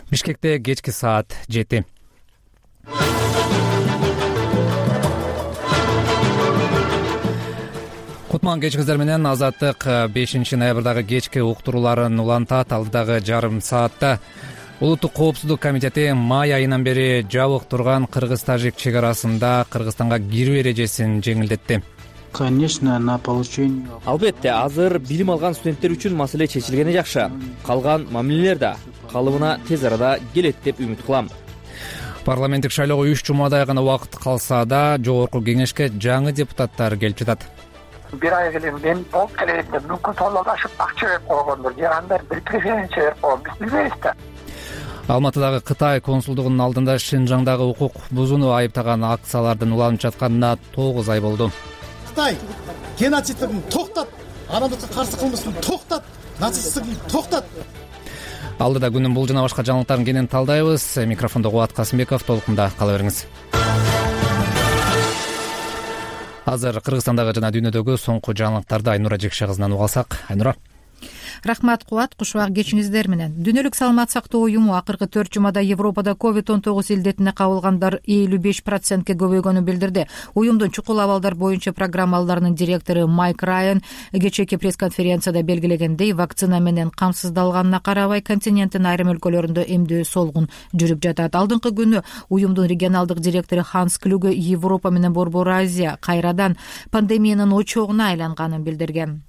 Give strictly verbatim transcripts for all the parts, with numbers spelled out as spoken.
Бишкекте кечки саат жети. Кутман кечкиңиздер менен Азаттык бешинчи ноябрдагы кечки уктурууларын улантат. Алдыдагы жарым саатта Улуттук коопсуздук комитети май айынан бери жабык турган кыргыз-тажик чек арасында Кыргызстанга кирүү эрежесин жеңилдетти. Конечно, на получение. Албетте, азыр билим алган студенттер үчүн маселе чечилгени жакшы. Калган мамилелер да калыбына тез арада келет деп үмүт кылам. Парламенттик шайлоого үч жумадай гана убакыт калса да, жогорку кеңешке жаңы депутаттар келип жатат. бир ай келем мен болуп келет деп мүмкүн толугашып акча берип койгондур же андай бир преференция берип койгон, биз билбейбиз да. Алматыдагы Кытай консулдугунун алдында Шинжаңдагы укук бузууну айыптаган акциялардын уланып жатканына тогуз ай болду. Кытай геноцидин токтот, адамдыкка каршы кылмыштын токтот, нацисттигин токтот. Алдыда күнүн бул жана башка жаңылыктарын кенен талдайбыз. Микрофондо Кубат Касымбеков, толкунда кала бериңиз. Азыр Кыргызстандагы жана дүйнөдөгү соңку жаңылыктарды Айнура Жекше кызынан уга алсак. Айнура. Рахмат Кубат, кушубак кечиңиздер менен. Дүйнөлүк саламат сактоо уюму акыркы төрт жумада Европада ковид он тогуз илдетине кабылгандар элүү беш процентке көбөйгөнүн билдирди. Уюмдун чукул абалдар боюнча программаларынын директору Майк Райан кечээки пресс-конференцияда белгилегендей, вакцина менен камсыздалганына карабай континенттин айрым өлкөлөрүндө эмдөө солгун жүрүп жатат. Алдыңкы күнү уюмдун регионалдык директору Ханс Клюге Европа менен Борбор Азия кайрадан пандемиянын очогуна айланганын билдирген.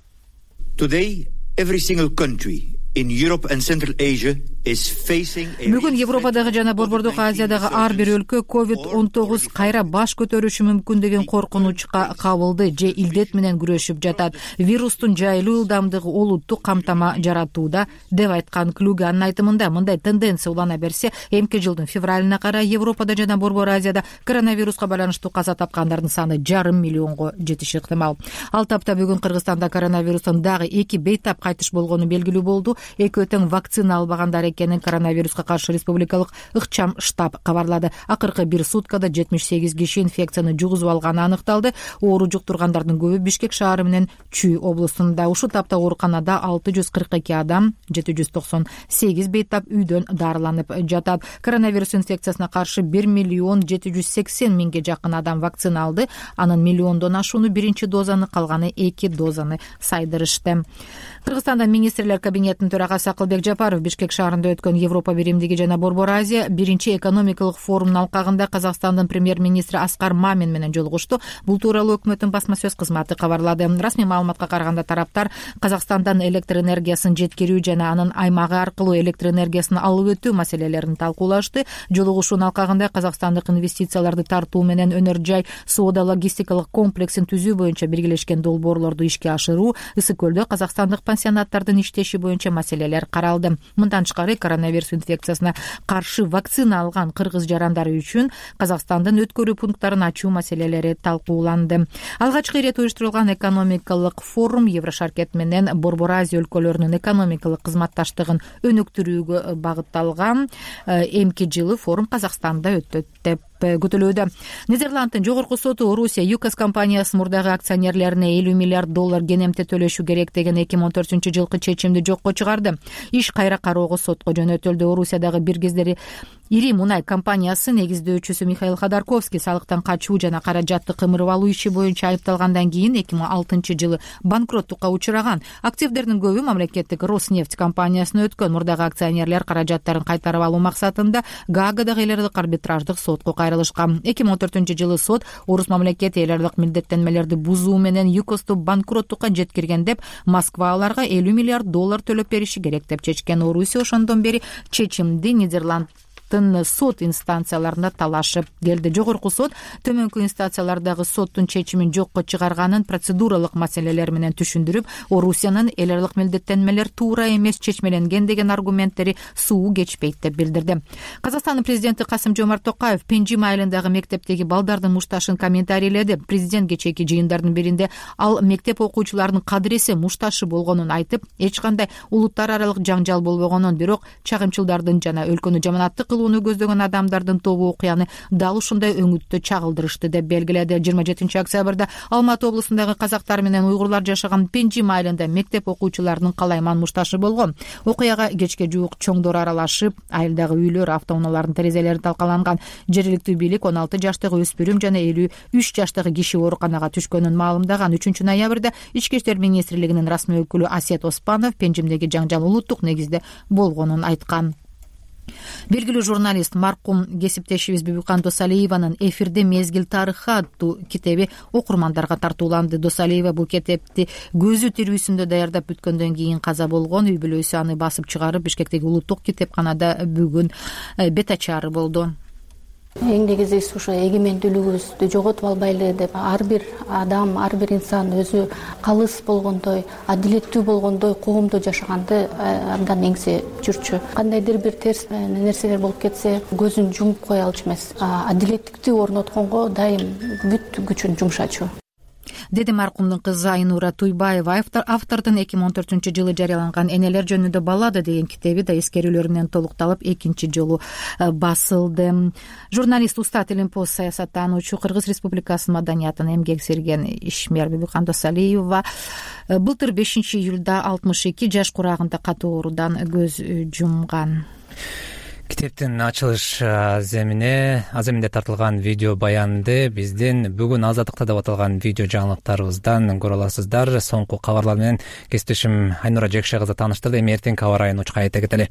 Today, every single country in Europe and Central Asia is facing a... Бүгүн Европадагы жана Борбордук Азиядагы ар бир өлкө ковид он тогуз кайра баш көтөрүшү мүмкүн деген коркунучка кабылды же илдет менен күрөшүп жатат. Вирустун жайылуу ылдамдыгы олуттуу камтама жаратууда деп айткан Клюге. Анын айтымында, мындай тенденция улана берсе, эмки жылдын февралына карай Европада жана Борбор Азияда коронавируска байланыштуу каза тапкандардын саны жарым миллионго жетиши ыктымал. Ал тапта бүгүн Кыргызстанда коронавирустан дагы эки бейтап кайтыш болгону белгилүү болду. Экөө тең вакцина албагандар экенин коронавируска каршы республикалык ыкчам штаб кабарлады. Акыркы бир суткада жетимиш сегиз киши инфекцияны жугузуп алганы аныкталды. Оору жуктургандардын көбү Бишкек шаары менен Чүй облусунда. Ушул тапта ооруканада алты жүз кырк эки адам, жети жүз токсон сегиз бейтап үйдөн дарыланып жатат. Коронавирус инфекциясына каршы бир миллион жети жүз сексен миңге жакын адам вакцина алды. Анын миллиондон ашууну биринчи дозаны, калганы эки дозаны сайдырышты. Кыргызстанда министрлер кабинетинин төрагасы Акылбек Жапаров Бишкек шаарында өткөн Европа биримдиги жана Борбор Азия биринчи экономикалык форумунун алкагында Казакстандын премьер-министри Аскар Мамин менен жолугушту. Бул тууралуу өкмөттүн басма сөз кызматы кабарлады. Расмий маалыматка караганда тараптар Казакстандан электр энергиясын жеткирүү жана анын аймагы аркылуу электр энергиясын алып өтүү маселелерин талкуулашты. Жолугушуунун алкагында казакстандык инвестицияларды тартуу менен өнөр жай соода логистикалык комплексин түзүү боюнча биргелешкен долбоорлорду ишке ашыруу, Ысык көлдө казакстандык пансионаттардын иштеши боюнча маселелер каралды. Мындан тышкары коронавирус инфекциясына каршы вакцина алган кыргыз жарандары үчүн Казакстандын өткөрүү пункттарын ачуу маселелери талкууланды. Алгачкы ирет уюштурулган экономикалык форум Еврошаркет менен Борбор Азия өлкөлөрүнүн экономикалык кызматташтыгын өнүктүрүүгө багытталган. Эмки жылы форум Казакстанда өттү деп күтүлүүдө. Нидерланддын жогорку соту Орусия ЮКОС компаниясы мурдагы акционерлерине элүү миллиард доллар кенемте төлөшү керек деген эки миң он төртүнчү жылкы чечимди жокко чыгарды. Иш кайра кароого сотко жөнөтүлдү. Орусиядагы бир кездери ири мунай компаниясы негиздөөчүсү Михаил Ходорковский салыктан качуу жана каражатты кымырып алуу иши боюнча айыпталгандан кийин эки миң алтынчы жылы банкроттукка учураган. Активдердин көбү мамлекеттик Роснефть компаниясына өткөн. Мурдагы акционерлер каражаттарын кайтарып алуу максатында Гаагадагы эл аралык арбитраждык сотко кайрылышкан. эки миң он төртүнчү жылы сот Орус мамлекети эл аралык милдеттенмелерди бузуу менен ЮКОСту банкроттукка жеткирген деп Москва аларга элүү миллиард доллар төлөп бериши керек деп чечкен. Орусия ошондон бери чечимди Нидерланд сот инстанцияларында талашып келди. Жогорку сот төмөнкү инстанциялардагы соттун чечимин жокко чыгарганын процедуралык маселелер менен түшүндүрүп, Орусиянын эл аралык милдеттенмелер туура эмес чечмеленген деген аргументтери суу кечпейт деп билдирди. Казакстандын президенти Касым-Жомарт Токаев Пенжим айылындагы мектептеги балдардын мушташын комментарийледи. Президент кечээки жыйындардын биринде ал мектеп окуучуларынын кадыресе мушташы болгонун айтып, эч кандай улуттар аралык жаңжал болбогонун, бирок чагымчылдардын жана өлкөнү жаманаттык кылууну көздөгөн адамдардын тобу окуяны дал ушундай өңүттө чагылдырышты деп белгиледи. жыйырма жетинчи октябрда Алматы облусундагы казактар менен уйгурлар жашаган Пенжим айылында мектеп окуучуларынын калайман мушташы болгон. Окуяга кечке жуук чоңдор аралашып, айылдагы үйлөр, автоунаалардын терезелери талкаланган. Жергиликтүү бийлик он алты жаштагы өспүрүм жана элүү үч жаштагы киши ооруканага түшкөнүн маалымдаган. үчүнчү ноябрда Ички иштер министрлигинин расмий өкүлү Асет Оспанов Пенжимдеги жаңжал улуттук негизде болгонун айткан. Белгилүү журналист маркум кесиптешибиз Бибикан Досалиеванын «Эфирде мезгил тарыхы» аттуу китеби окурмандарга тартууланды. Досалиева бул китепти көзү тирүүсүндө даярдап бүткөндөн кийин каза болгон. Үй бүлөсү аны басып чыгарып Бишкектеги улуттук китепканада бүгүн бет ачаары болду. Эң негизгиси ошо эгемендүүлүгүбүздү жоготуп албайлы деп ар бир адам, ар бир инсан өзү калыс болгондой, адилеттүү болгондой коомдо жашаганды абдан эңсе жүрчү. Кандайдыр бир терс нерселер болуп кетсе, көзүн жумуп кое алчу эмес. Адилеттикти орнотконго дайым бүт күчүн жумшачу. Деди маркумдун кызы Айнура Туйбаева. Автордун эки миң он төртүнчү жылы жарыяланган «Энелер жөнүндө баллада» деген китеби да эскерүүлөр менен толукталып экинчи жолу басылды. Журналист, уста Илимпоз саясаттануучу, Кыргыз Республикасынын маданиятын эмгек сирген ишмер Бибикан Досалиева былтыр бешинчи июлда алтымыш эки жаш курагында катуу оорудан көз жумган. Китептин ачылыш аземине аземинде тартылган видео баянды биздин бүгүн Азаттыкта деп аталган видео жаңылыктарыбыздан көрө аласыздар. Соңку кабарлар менен кесиптешим Айнура Жекше кызы тааныштырды. Эми эртеңки аба ырайын учка айта кетели.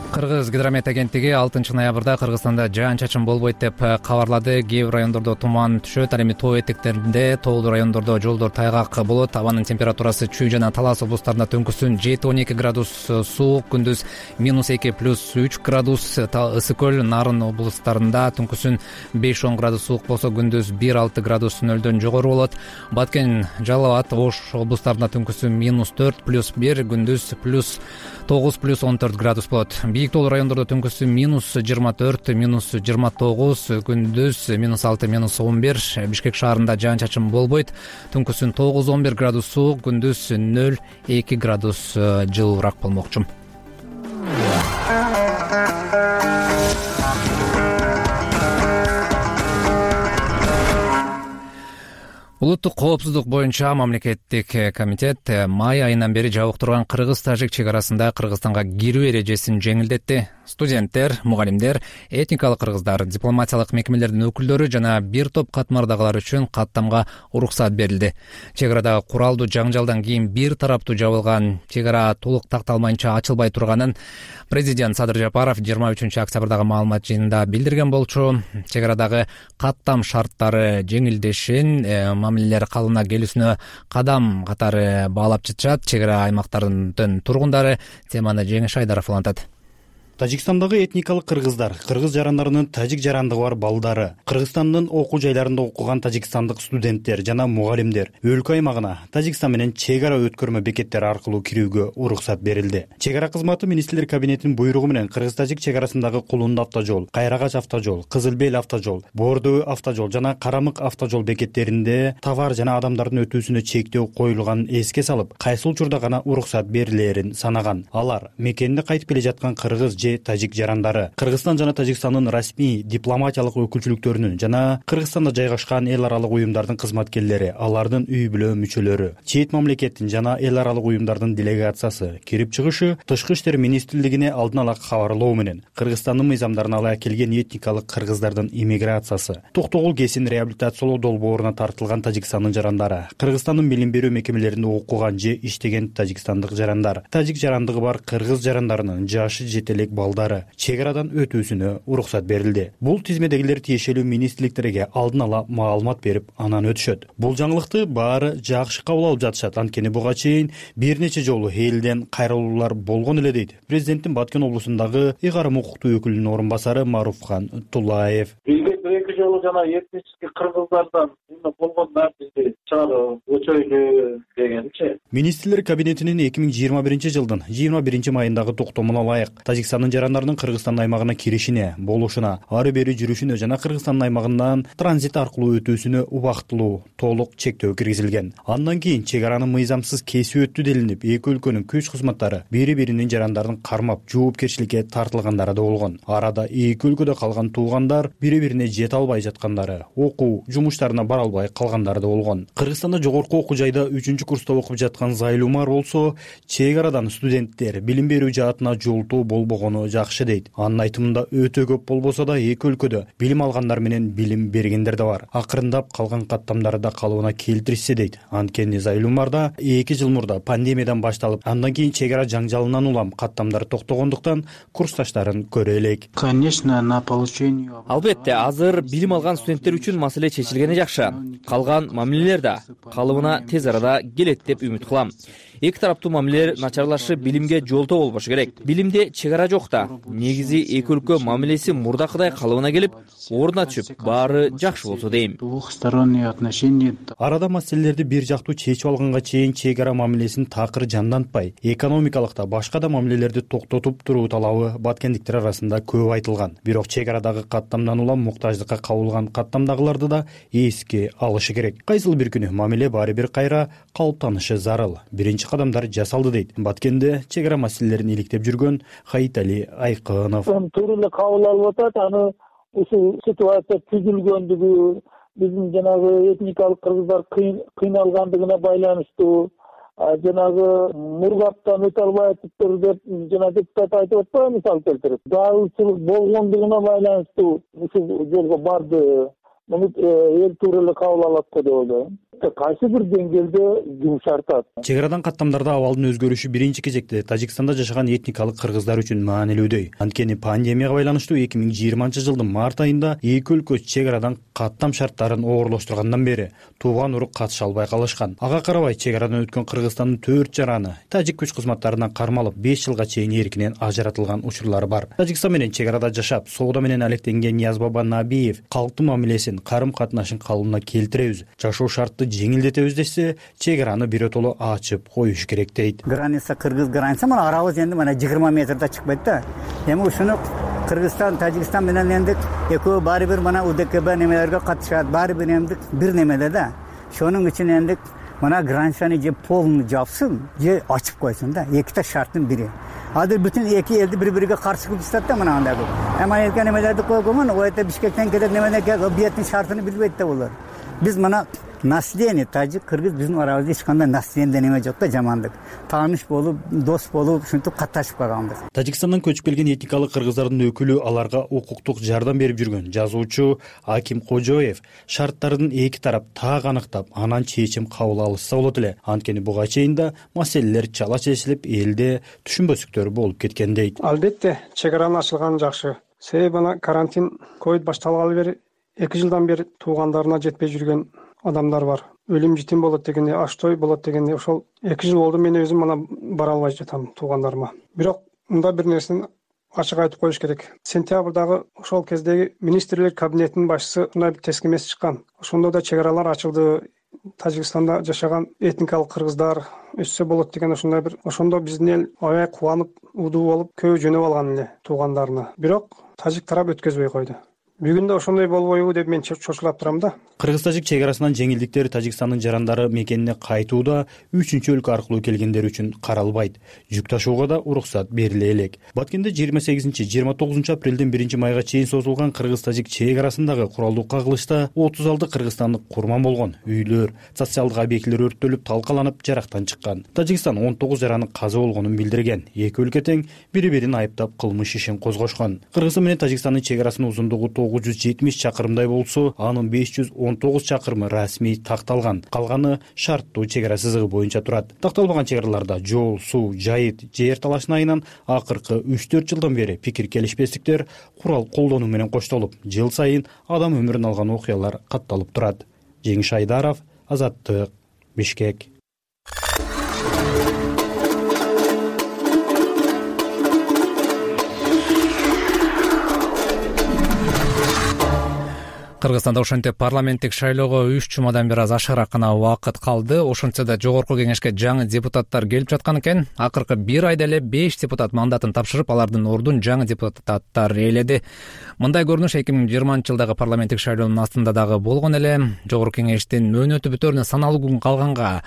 Кыргыз гидромет агенттиги алтынчы ноябрда Кыргызстанда жаан-чачын болбойт деп кабарлады. Кээ бир райондордо туман түшөт, ал эми тоо этектеринде, тоолуу райондордо жолдор тайгак болот. Абанын температурасы Чүй жана Талас облустарында түнкүсүн жети он эки градус суук, күндүз минус эки плюс үч градус. Ысык көл, Нарын облустарында түнкүсүн беш он градус суук болсо, күндүз бир алты градус нөлдөн жогору болот. Баткен, Жалал абад, Ош облустарында түнкүсүн минус төрт плюс бир, күндүз плюс тогуз плюс он төрт градус болот. Бийик тоолуу райондордо түнкүсү минус жыйырма төрт, минус жыйырма тогуз, күндүз минус алты, минус он бир. Бишкек шаарында жаан-чачын болбойт. Түнкүсүн тогуз он бир градус суук, күндүз нөл эки градус жылуураак болмокчу. Улуттук коопсуздук боюнча мамлекеттик комитет май айынан бери жабык турган кыргыз-тажик чек арасында Кыргызстанга кирүү эрежесин жеңилдетти. Студенттер, мугалимдер, этникалык кыргыздар, дипломатиялык мекемелердин өкүлдөрү жана бир топ катмардагылар үчүн каттамга уруксат берилди. Чек арада куралдуу жаңжалдан кийин бир тараптуу жабылган чек ара толук такталмайынча ачылбай турганын президент Садыр Жапаров жыйырма үчүнчү октябрдагы маалымат жыйынында билдирген болчу. Чек арадагы каттам шарттары жеңилдешин, мамилелер калыбына келүүсүнө кадам катары баалап жатышат. Чек ара аймактарынын тургундары. Теманы Жеңиш Айдаров улантат. Тажикстандагы этникалык кыргыздар, кыргыз жарандарынын тажик жарандыгы бар балдары, Кыргызстандын окуу жайларында окуган тажикстандык студенттер жана мугалимдер өлкө аймагына Тажикстан менен чек ара өткөрмө бекеттери аркылуу кирүүгө уруксат берилди. Чек ара кызматы министрлер кабинетинин буйругу менен кыргыз-тажик чек арасындагы Кулунду автожол, Кайрагач автожол, Кызыл Бел автожол, Боордөө автожол жана Карамык автожол бекеттеринде товар жана адамдардын өтүүсүнө чектөө коюлганын эске салып, кайсы учурда гана уруксат берилерин санаган. Алар мекенине кайтып келе жаткан кыргыз тажик жарандары, Кыргызстан жана Тажикстандын расмий дипломатиялык өкүлчүлүктөрүнүн жана Кыргызстанда жайгашкан эл аралык уюмдардын кызматкерлери, алардын үй бүлө мүчөлөрү, чет мамлекеттин жана эл аралык уюмдардын делегациясы кирип чыгышы Тышкы иштер министрлигине алдын ала кабарлоо менен Кыргызстандын мыйзамдарына ала келген этникалык кыргыздардын иммиграциясы, Токтогул Кесин реабилитациялоо долбооруна тартылган Тажикстандын жарандары, Кыргызстандын билим берүү мекемелеринде окуган же иштеген тажикстандык жарандар, тажик жарандыгы бар кыргыз жарандарынын жашы жетелек балдары чек арадан өтүүсүнө уруксат берилди. Бул тизмедегилер тиешелүү министрликтерге алдын ала маалымат берип, анан өтүшөт. Бул жаңылыкты баары жакшы кабыл алып жатышат. Анткени буга чейин бир нече жолу элден кайрылуулар болгон эле дейт президенттин Баткен облусундагы ыйгарым укуктуу өкүлүнүн орун басары Маруфхан Тулаев. Президент эки жолу жана этнический кыргыздардан болгон нартизди чыгарып өчөйлү дегенчи. Министрлер кабинетинин эки миң жыйырма биринчи жылдын жыйырма биринчи майындагы токтомуна ылайык Тажикстандын жарандарынын Кыргызстан аймагына киришине, болушуна, ары бери жүрүшүнө жана Кыргызстан аймагынан транзит аркылуу өтүүсүнө убактылуу толук чектөө киргизилген. Андан кийин чек араны мыйзамсыз кесип өттү делинип, эки өлкөнүн күч кызматтары бири-биринин жарандарын кармап, жоопкерчиликке тартылгандары да болгон. Арада эки өлкөдө калган туугандар бири-бирине жете албай жаткандары, окуу жумуштарына бара албай калгандары да болгон. Кыргызстанда жогорку окуу жайда үчүнчү курста окуп жаткан Зайлумар болсо, чек арадан студенттер билим берүү жаатына жолтоо болбогону жакшы дейт. Анын айтымында өтө көп болбосо да эки өлкөдө билим алгандар менен билим бергендер да бар. Акырындап калган каттамдары да калыбына келтиришсе дейт. Анткени Зайлумарда эки жыл мурда пандемиядан башталып, андан кийин чек ара жаңжалынан улам каттамдар токтогондуктан курсташтарын көрө элек. Конечно, на получение. Албетте, азыр билим алган студенттер үчүн маселе чечилгени жакшы. Калган мамилелер да калыбына тез арада келет деп үмүт кылам. Эки тараптуу мамилелер начарлашып, билимге жолтоо болбошу керек. Билимде чек ара жок да. Негизи эки өлкө мамилеси мурдакыдай калыбына келип, ордуна түшүп, баары жакшы болсо дейм. Двухсторонние отношения. Арада маселелерди бир жактуу чечип алганга чейин чек ара мамилесин такыр жандантпай, экономикалык да башка да мамилелерди токтотуп туруу талабы баткендиктер арасында көп айтылган. Бирок чек арадагы каттамдан улам муктаждыкка кабылган каттамдагыларды да эске алышы керек. Кайсыл бир күнү мамиле баары бир кайра калыптанышы зарыл. Биринчи кадамдар жасалды дейт Баткенде чек ара маселелерин иликтеп жүргөн Хаитали Айкынов. Туура эле кабыл алып атат, аны ушул ситуация түзүлгөндүгү, биздин жанагы этникалык кыргыздар кыйналгандыгына байланыштуу, жанагы Мургаптан өтө албай атыптыр деп жана депутат айтып атпайбы, мисал келтирип. Даалчылык болгондугуна байланыштуу ушул жолго барды. Муну эл туура эле кабыл алат го деп ойлойм. Кайсы бир деңгээлде жумшартат. Чек арадан каттамдарда абалдын өзгөрүшү биринчи кезекте Тажикстанда жашаган этникалык кыргыздар үчүн маанилүүдөй. Анткени пандемияга байланыштуу эки миң жыйырманчы жылдын март айында эки өлкө чек арадан каттам шарттарын оорлоштургандан бери тууган урук катыша албай калышкан. Ага карабай чек арадан өткөн Кыргызстандын төрт жараны тажик күч кызматтарынан кармалып беш жылга чейин эркинен ажыратылган учурлары бар. Тажикстан менен чек арада жашап, соода менен алектенген Ниязбаба Набиев калктын мамилесин, карым катнашын калыбына келтиребиз, жашоо шартты жеңилдетебиз десе, чек араны биротоло ачып коюш керек дейт. Граница кыргыз граница мына арабыз энди мына жыйырма метрде чыкпайт да. Эми ушуну Кыргызстан, Тажикстан менен энди экөө баары бир мына УДКБ немелерге катышат, баары бир эмди бир немеде да. Шонун үчүн энди мына границаны же полный жапсын, же ачып койсун да. Эките шарттын бири. Азыр бүтүн эки элди бири-бириге каршы кылып жатат да мына андай. Эми элге немелерди койгон, ойта Бишкектен келет немене келет, объекттин шартын билбейт да булар. Биз мына наследие тажик кыргыз биздин арабызда эч кандай наследие неме жок да, жамандык. Тааныш болуп, дос болуп, ушинтип катташып калганбыз. Тажикстандан көчүп келген этникалык кыргыздардын өкүлү, аларга укуктук жардам берип жүргөн жазуучу Аким Кожоев шарттардын эки тарап так аныктап, анан чечим кабыл алышса болот эле. Анткени буга чейин да маселелер чала чечилип, элде түшүнбөстүктөр болуп кеткен дейт. Албетте, чек аранын ачылганы жакшы. Себеби мына карантин ковид башталгалы бери эки жылдан бери туугандарына жетпей жүргөн адамдар бар. Өлүм житим болот дегенде, аш-той болот дегенде, ошол эки жыл болду мен өзүм мына бара албай жатам туугандарыма. Бирок мында бир нерсени ачык айтып коюш керек. Сентябрдагы ошол кездеги министрлер кабинетинин башчысы мындай бир тескемес чыккан. Ошондо да чек аралар ачылды. Тажикстанда жашаган этникалык кыргыздар өссө болот деген ошондой бир. Ошондо биздин эл аябай кубанып, удуу болуп, көбү жөнөп алган эле туугандарына. Бирок тажик тарап өткөзбөй койду. Бүгүн да ошондой болбойбу деп мен чочулап турам да. Кыргыз-тажик чек арасынан жеңилдиктер Тажикстандын жарандары мекенине кайтууда үчүнчү өлкө аркылуу келгендер үчүн каралбайт. Жүк ташууга да уруксат бериле элек. Баткенде жыйырма сегизинчи жыйырма тогузунчу апрелден биринчи майга чейин созулган Кыргыз-тажик чек арасындагы куралдуу кагылышта отуз алты кыргызстандык курман болгон. Үйлөр, социалдык объектилер өрттөлүп, талкаланып, жарактан чыккан. Тажикстан он тогуз жаранын каза болгонун билдирген. Эки өлкө тең бири-бирин айыптап кылмыш ишин козгошкон. Кыргызстан менен Тажикстандын чек арасынын узундугу тогуз жүз жетимиш чакырымдай болсо, анын беш жүз он тогуз чакырымы расмий такталган. Калганы шарттуу чек ара сызыгы боюнча турат. Такталбаган чек араларда жол, суу, жайыт, жер талашына айынан акыркы үч төрт жылдан бери пикир келишпестиктер курал колдонуу менен коштолуп, жыл сайын адам өмүрүн алган окуялар катталып турат. Жеңиш Айдаров, Азаттык, Бишкек. Кыргызстанда ошентип парламенттик шайлоого үч жумадан бир аз ашыгыраак гана убакыт калды. Ошентсе да жогорку кеңешке жаңы депутаттар келип жаткан экен. Акыркы бир айда эле беш депутат мандатын тапшырып, алардын ордун жаңы депутаттар ээледи. Мындай көрүнүш эки миң жыйырманчы жылдагы парламенттик шайлоонун астында дагы болгон эле. Жогорку кеңештин мөөнөтү бүтөрүнө саналуу күн калганга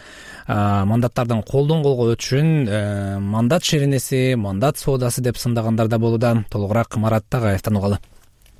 мандаттардын колдон колго өтүшүн мандат шеренеси, мандат соодасы деп сындагандар да болууда. Толугураак Марат Тагаевден угалы.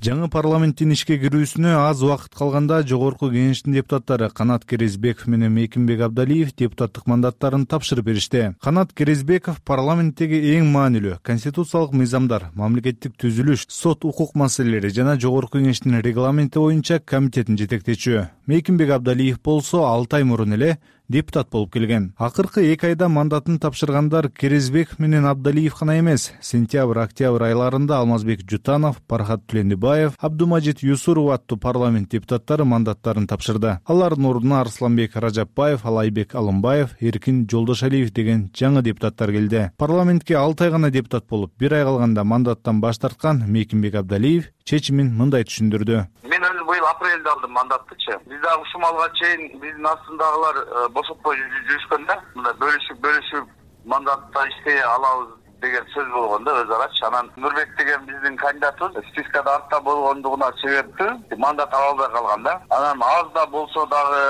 Жаңы парламенттин ишке кирүүсүнө аз убакыт калганда жогорку кеңештин депутаттары Канат Керезбеков менен Мейкимбек Абдалиев депутаттык мандаттарын тапшырып беришти. Канат Керезбеков парламенттеги эң маанилүү конституциялык мыйзамдар, мамлекеттик түзүлүш, сот укук маселелери жана жогорку кеңештин регламенти боюнча комитетин жетектечү. Мейкимбек Абдалиев болсо алты ай мурун эле депутат болуп келген. Акыркы эки айда мандатын тапшыргандар Керезбеков менен Абдалиев гана эмес. Сентябрь-октябрь айларында Алмазбек Жутанов, Пархат Түлендибаев, Абдумажит Юсуров аттуу парламент депутаттары мандаттарын тапшырды. Алардын ордуна Арсланбек Ражапбаев, Алайбек Алымбаев, Эркин Жолдошалиев деген жаңы депутаттар келди. Парламентке алты ай гана депутат болуп, бир ай калганда мандаттан баш тарткан Мейкимбек Абдалиев чечимин мындай түшүндүрдү. Мен өзүм быйыл апрелде алдым мандаттычы. Биз дагы ушул малга чейин биздин астындагылар бошотпой жүрүшкөн да. Мындай бөлүшүп бөлүшүп мандатта иштей алабыз деген сөз болгон да өз арачы. Анан Нурбек деген биздин кандидатыбыз спискада артта болгондугуна себептүү мандат ала албай калган да. Анан аз да болсо дагы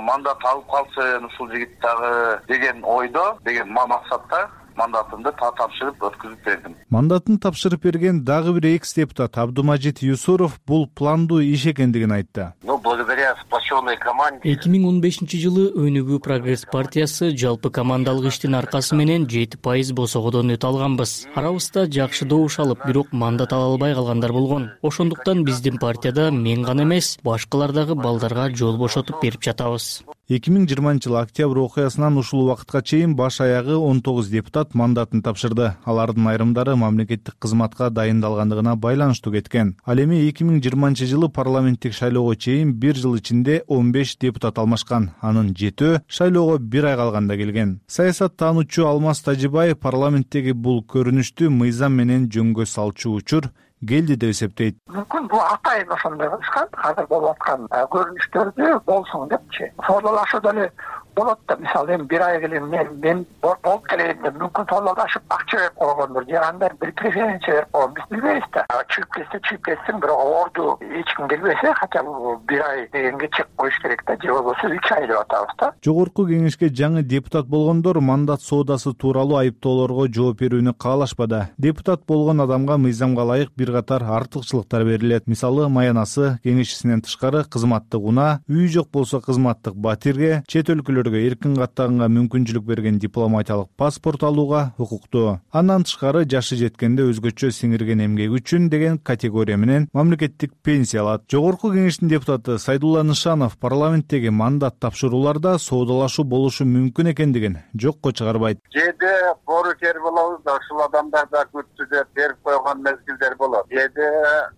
мандат алып калсын ушул жигит дагы деген ойдо, деген максатта мандатымды тапшырып өткүзүп бердим. Мандатын тапшырып берген дагы бир экс депутат Абдумажит Юсуров бул пландуу иш экендигин айтты. Ну, благодаря сплоченной команде. эки миң он бешинчи жылы Өнүгүү Прогресс партиясы жалпы командалык иштин аркасы менен жети пайыз босогодон өтө алганбыз. Арабызда жакшы добуш алып, бирок мандат ала албай калгандар болгон. Ошондуктан биздин партияда мен гана эмес, башкалар дагы балдарга жол бошотуп берип жатабыз. эки миң жыйырманчы жылы октябрь окуясынан ушул убакытка чейин баш аягы он тогуз депутат мандатын тапшырды. Алардын айрымдары мамлекеттик кызматка дайындалгандыгына байланыштуу кеткен. Ал эми эки миң жыйырманчы жылы парламенттик шайлоого чейин бир жыл ичинде он беш депутат алмашкан. Анын жетөө шайлоого бир ай калганда келген. Саясаттануучу Алмаз Тажибаев парламенттеги бул көрүнүштү мыйзам менен жөнгө салчу учур келди деп эсептейт. Мүмкүн бул атайын ошондой кылышкан, азыр болуп аткан көрүнүштөрдү болсун депчи. Соолашуу деле болот да, мисалы эми бир ай келем мен мен болуп келейин деп мүмкүн соолашып акча берип койгондур, же андай бир преференция берип койгон, биз билбейбиз да. Чыгып кетсе чыгып кетсин, бирок орду эч ким билбесе, хотя бы бир ай дегенге чек коюш керек да, же болбосо үч ай деп атабыз да. Жогорку кеңешке жаңы депутат болгондор мандат соодасы тууралуу айыптоолорго жооп берүүнү каалашпады. Депутат болгон адамга мыйзамга ылайык бир катар артыкчылыктар берилет. Мисалы, маянасы, кеңешчисинен тышкары кызматтык унаа, үйү жок болсо кызматтык батирге, чет өлкөлөргө эркин каттаганга мүмкүнчүлүк берген дипломатиялык паспорт алууга укуктуу. Андан тышкары жашы жеткенде өзгөчө сиңирген эмгеги үчүн деген категория менен мамлекеттик пенсия алат. Жогорку кеңештин депутаты Сайдулла Нышанов парламенттеги мандат тапшырууларда соодалашуу болушу мүмкүн экендигин жокко чыгарбайт. Кээде боорукер болобуз да, ушул адамдар да күтүүдө берип койгон мезгилдер болот. Кээде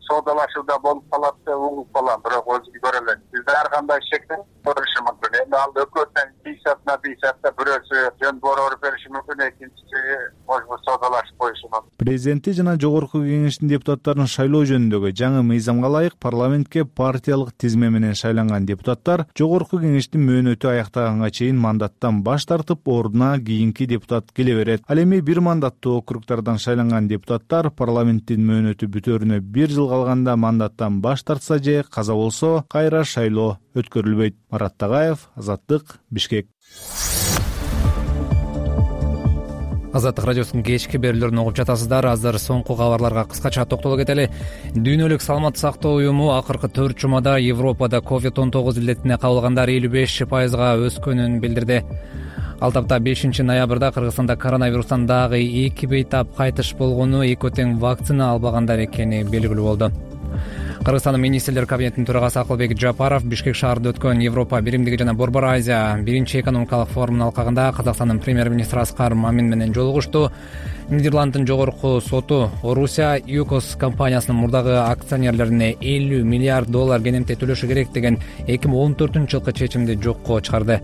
соодалашууда болуп калат деп угуп калам, бирок өзү көрө элек. Бизде ар кандай шектен көрүшү мүмкүн. Эми ал өкмөттөн бийсатна бийсатта бирөөсү жөн борор бериши мүмкүн, экинчиси может соодалашып коюшу мүмкүн. Президенти жана жогорку кеңештин депутаттарын шайлоо жөнүндөгү жаңы мыйзамга ылайык парламентке партиялык тизме менен шайланган депутаттар жогорку кеңештин мөөнөтү аяктаганга чейин мандаттан баш тартып, ордуна кийинки депутат келе берет. Ал эми бир мандаттуу округдардан шайланган депутаттар парламенттин мөөнөтү бүтөрүнө бир жыл калганда мандаттан баш тартса же каза болсо, кайра шайлоо өткөрүлбөйт. Марат Тагаев, Азаттык, Бишкек. Азаттык радиосунун кечки берүүлөрүн угуп жатасыздар. Азыр соңку кабарларга кыскача токтоло кетели. Дүйнөлүк саламаттык сактоо уюму акыркы төрт жумада Европада ковид он тогуз илдетине кабылгандар элүү беш пайызга өскөнүн билдирди. Ал тапта бешинчи ноябрда Кыргызстанда коронавирустан дагы эки бейтап кайтыш болгону, экөө тең вакцина албагандар экени белгилүү болду. Кыргызстандын министрлер кабинетинин төрагасы Акылбек Жапаров Бишкек шаарында өткөн Европа биримдиги жана Борбор Азия биринчи экономикалык форумунун алкагында Казакстандын премьер-министри Аскар Мамин менен жолугушту. Нидерланддын жогорку соту Орусия ЮКОС компаниясынын мурдагы акционерлерине элүү миллиард доллар кенемте төлөшү керек деген эки миң он төртүнчү жылкы чечимди жокко чыгарды.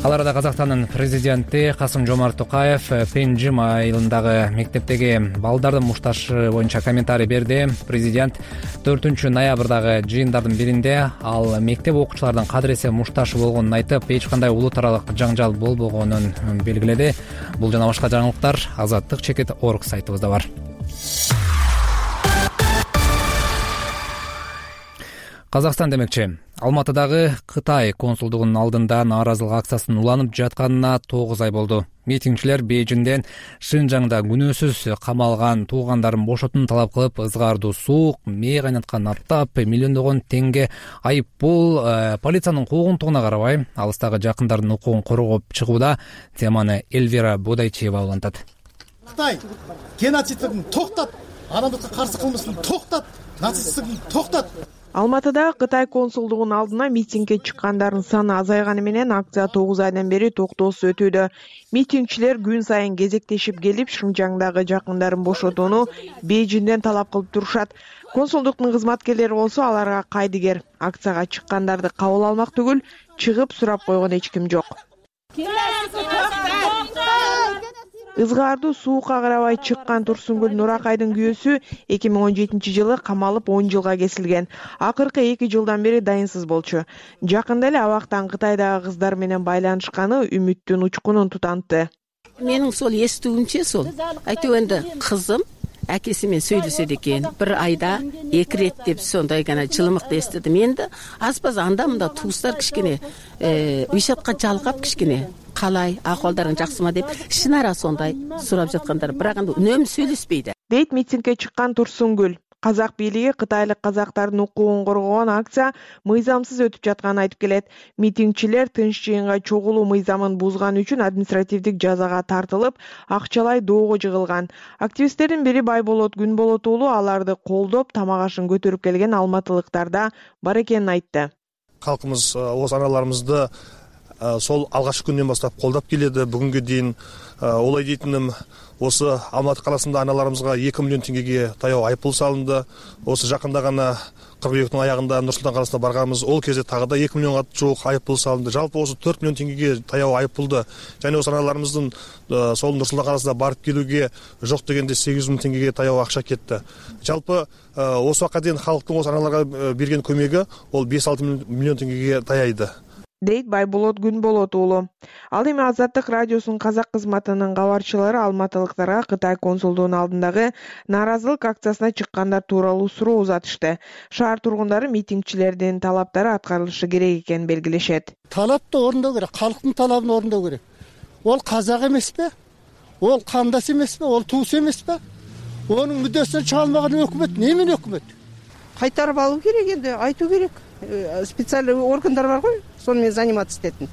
Ал арада Казакстандын президенти Касым Жомарт Токаев Пенжим айылындагы мектептеги балдардын мушташы боюнча комментарий берди. Президент төртүнчү ноябрдагы жыйындардын биринде ал мектеп окуучуларынын кадыресе мушташы болгонун айтып, эч кандай улуу таралык жаңжал болбогонун белгиледи. Бул жана башка жаңылыктар Азаттык чекит орг сайтыбызда бар. Казакстан демекчи, Алматыдагы Кытай консулдугунун алдында нааразылык акциясынын уланып жатканына тогуз ай болду. Митингчилер Бейжиңден Шинжаңда күнөөсүз камалган туугандарын бошотууну талап кылып, ызгаардуу суук, мээ кайнаткан аттап, миллиондогон теңге айып пул, полициянын куугунтугуна карабай, алыстагы жакындардын укугун коргоп чыгууда. Теманы Эльвира Бодайчиева улантат. Кытай геноцидин токтот, адамдыкка каршы кылмысын токтот, нацисттигин токтот. Алматыда Кытай консулдугунун алдына митингге чыккандардын саны азайганы менен акция тогуз айдан бери токтоосуз өтүүдө. Митингчилер күн сайын кезектешип келип, Шинжаңдагы жакындарын бошотууну Бейжиңден талап кылып турушат. Консулдуктун кызматкерлери болсо аларга кайдыгер. Акцияга чыккандарды кабыл алмак түгүл, чыгып сурап койгон эч ким жок. Ызгаардуу суукка карабай чыккан Турсунгүл Нуракайдын күйөөсү эки миң он жетинчи жылы камалып он жылга кесилген. Акыркы эки жылдан бери дайынсыз болчу. Жакында эле абактан Кытайдагы кыздар менен байланышканы үмүттүн учкунун тутантты. Менин сол эстүүмчө сол айтып энди кызым акеси менен сүйлөшөт экен. Бир айда эки рет деп сондай гана жылымыкты эстедим. Энди азбаз анда мында туустар кичкене вишатка жалгап кичкене калай, акыбалдарың жакшымы деп шынара сондай сурап жаткандар, бирок анда үнөмү сүйлөшпөйдү. Дейт митингге чыккан Турсунгүл. Казак бийлиги Кытайлык казактардын укугун коргогон акция мыйзамсыз өтүп жатканын айтып келет. Митингчилер тынч жыйынга чогулуу мыйзамын бузган үчүн административдик жазага тартылып, акчалай доого жыгылган. Активисттердин бири Байболот Күнболот уулу аларды колдоп, тамак ашын көтөрүп келген алматылыктарда бар экенин айтты. Калкыбыз оз аналарыбызды сол алгачкы күндөн баштап колдоп келеді. Бүгүнгө дейин олай дейтиним, осы Алматы каласында аналарыбызга эки миллион теңгеге таяу айыппул салынды. Осы жакында гана кыркүйөктүн аягында Нур Султан каласына барганбыз. Ол кезде тагы да эки миллионго жук айыппул салынды. Жалпы осы төрт миллион теңгеге таяу айыппулду. Жана осы аналарыбыздын сол Нур Султан каласына барып келүүгө жок дегенде сегиз жүз миң теңгеге таяу акча кетти. Жалпы осы убакка дейин халктын осы аналарга берген көмөгү ол беш алты миллион теңгеге таяйды. Дейт Байболот Күнболот уулу. Ал эми Азаттык радиосунун казак кызматынын кабарчылары алматылыктарга Кытай консулдугунун алдындагы нааразылык акциясына чыккандар тууралуу суроо узатышты. Шаар тургундары митингчилердин талаптары аткарылышы керек экенин белгилешет. Талапты орундоо керек, калктын талабын орундоо керек. Ол казак эмеспи? Ол кандас эмеспи? Ол туус эмеспи? Онун мүддөсүнөн чыга алмаган өкмөт немен өкмөт? Кайтарып алуу керек энди, айтуу керек. Специальный органдар бар ғой, сонымен заниматься этетін.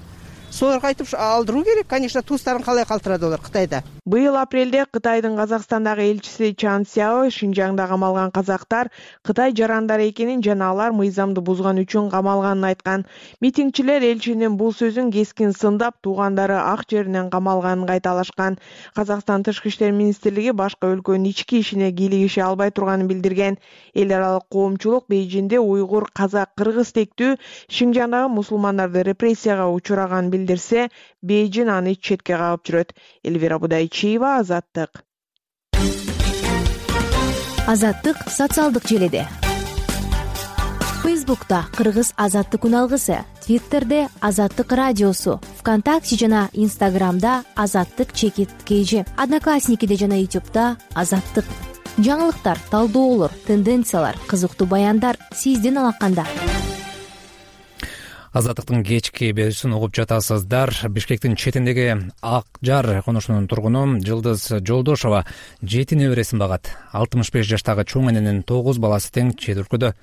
Солар айтып алдыруу керек, конечно, туустарын калай калтырады олар Кытайда. Быйыл апрелде Кытайдын Казакстандагы элчиси Чан Сяо Шинжаңда камалган казактар Кытай жарандары экенин жана алар мыйзамды бузган үчүн камалганын айткан. Митингчилер элчинин бул сөзүн кескин сындап, туугандары ак жеринен камалганын кайталашкан. Казакстан Тышкы иштер министрлиги башка өлкөнүн ички ишине кийлигише албай турганын билдирген. Эл аралык коомчулук Бейжиңде уйгур, казак, кыргыз тектүү Шинжаңдагы мусулмандарды репрессияга учураган билдирсе, Бейжиң аны четке кагып жүрөт. Эльвира Будайчиева, Азаттык. Азаттык социалдык желеде. Фейсбукта Кыргыз Азаттык үналгысы, Твиттерде Азаттык радиосу, ВКонтакте жана Инстаграмда Азаттык чекит кж, Одноклассникиде жана Ютубта Азаттык. Жаңылыктар, талдоолор, тенденциялар, кызыктуу баяндар сиздин алаканда. Азаттыктын кечки берүүсүн угуп жатасыздар. Бишкектин четиндеги Ак Жар конушунун тургуну Жылдыз Жолдошова жети небересин багат. алтымыш беш жаштагы чоң эненин тогуз баласы тең чет өлкөдө.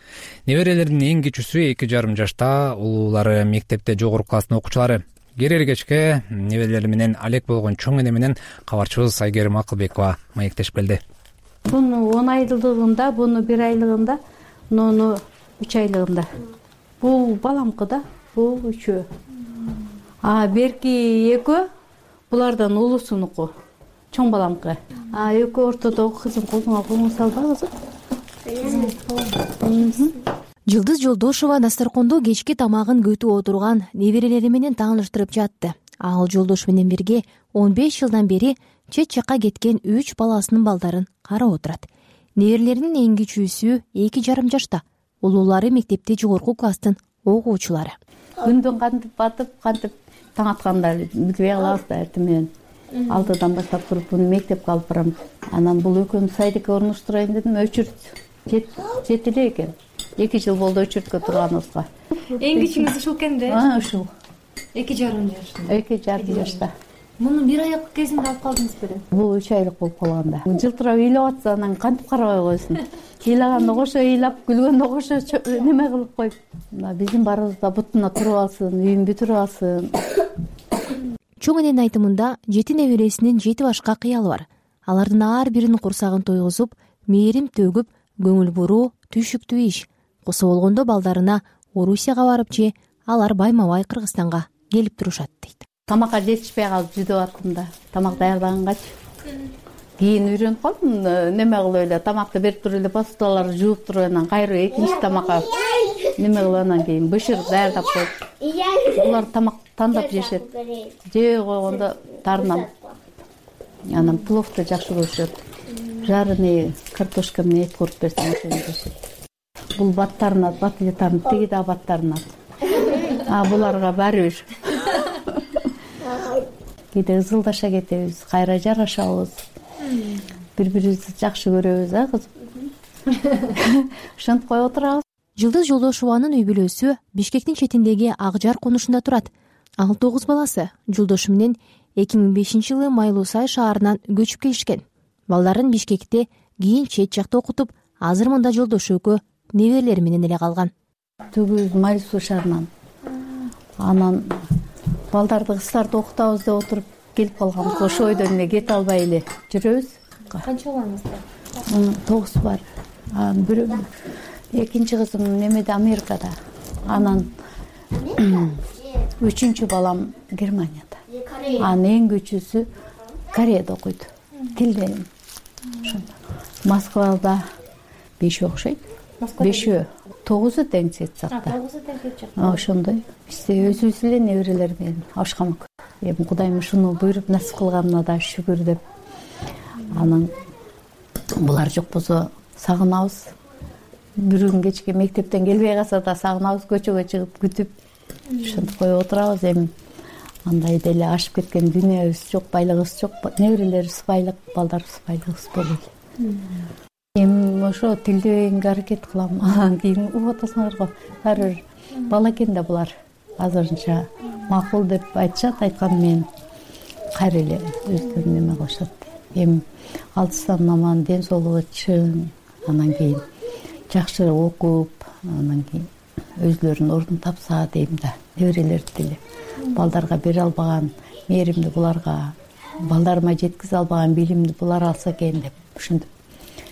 Неберелердин эң кичүүсү эки жарым жашта, улуулары мектепте жогорку класстын окуучулары. Керер кечке неберелери менен алек болгон чоң эне менен кабарчыбыз Айгерим Акылбекова маектешип келди. Буну он айлыгында, буну бир айлыгында, муну үч айлыгында. Бул баламкы да. Бул үчөө. А берки экөө булардан улуусунуку. Чоң баламкы. А экөө ортодогу кызым колуңа колуң салбагызы. Жылдыз Жолдошова дасторкондо кечки тамагын көтүп отурган неберелери менен тааныштырып жатты. ал жолдошу менен бирге он беш жылдан бери чет жакка кеткен үч баласынын балдарын карап отурат. Неберелеринин эң кичүүсү эки жарым жашта, улуулары мектепте жогорку класстын окуучулары. Күндөн кантип батып, кантип таң атканда билбей калабыз да, эртең менен алтыдан баштап туруп буну мектепке алып барам. Анан бул экөөмүз сайдыкка орнуштурайын дедим, өчүрт жет эле экен. эки жыл болду өчүрткө турганыбызга. Эң кичүүңүз ушул экен да? А, ушул. эки жарым жашта. эки жарым жашта. Муну бир аяк кезинде алып калдыңыз беле? Бул үч айлык болуп калганда. Жылтырап ыйлап атса, анан кантип карабай койсун. Ыйлаганда кошо ыйлап, күлгөндө кошо неме кылып коюп. Биздин барыбызда бутуна туруп алсын, үйүн бүтүрүп алсын. Чоң эненин айтымында жети небересинин жети башка кыялы бар. Алардын ар биринин курсагын тойгузуп, мээрим төгүп, көңүл буруу түшүктүү иш. Куса болгондо балдарына Орусияга барып же алар байма-бай Кыргызстанга келип турушат дейт. Тамакка жетишпей калып жүдөп аттым да. Тамак даярдагангач. Кийин үйрөнүп калдым, неме кылып эле тамакты берип туруп эле посудаларды жууп туруп анан кайра экинчи тамакка неме кылып анан кийин бышырып даярдап коюп. Булар тамак тандап жешет. Жей койгондо тарынам. Анан пловду жакшы көрүшөт. Жареный картошка менен эт куруп берсем жешет. Бул баттарына бат эле тарынып, тиги да баттарына. А буларга баары бир. Кээде ызылдаша кетебиз, кайра жарашабыз. Бири-бирибизди жакшы көрөбүз, а кызым. Ошентип коюп отурабыз. Жылдыз Жолдошованын үй бүлөсү Бишкектин четиндеги Акжар конушунда турат. Ал тогуз баласы жолдошу менен эки миң бешинчи жылы Майлуу Сай шаарынан көчүп келишкен. Балдарын Бишкекте, кийин чет жакта окутуп, азыр мында жолдошу экөө неберелери менен эле калган. Түгүз Майлуу шаарынан. Анан балдарды кыздарды окутабыз деп отуруп келип калганбыз. Ошол ойдон эле кете албай эле жүрөбүз. Канча балаңыздар? Тогуз бар. Бирөө экинчи кызым немеде Америкада. Анан үчүнчү балам Германияда. Анын эң кичүүсү Кореяда окуйт. Тилден. Москвада бешөө окшойт. Бешөө. Тогузу тең сетсакта. Тогузу тең кетчак. Ошондой. Бизде өзүбүз эле неберелер менен ашкамак. Эми Кудайым ушуну буйруп насип кылганына да шүгүр деп. Анан булар жок болсо сагынабыз. Бир күн кечке мектептен келбей калса да сагынабыз, көчөгө чыгып күтүп. Ошентип коюп отурабыз. Эми андай деле ашып кеткен дүйнөбүз жок, байлыгыбыз жок. Неберелерибиз байлык, балдарыбыз байлыгыбыз болот. Эми ошо тилдебегенге аракет кылам. Анан кийин угуп атасыңар го. Баары бир бала экен да булар. Азырынча макул деп айтышат, айткан менен кайра эле өздөрү неме кылышат. Эми алтысынан аман, ден соолугу чың, анан кийин жакшы окуп, анан кийин өзлөрүнүн ордун тапса дейм да. Неберелерди деле балдарга бере албаган мээримди буларга, балдарыма жеткизе албаган билимди булар алса экен деп ушинтип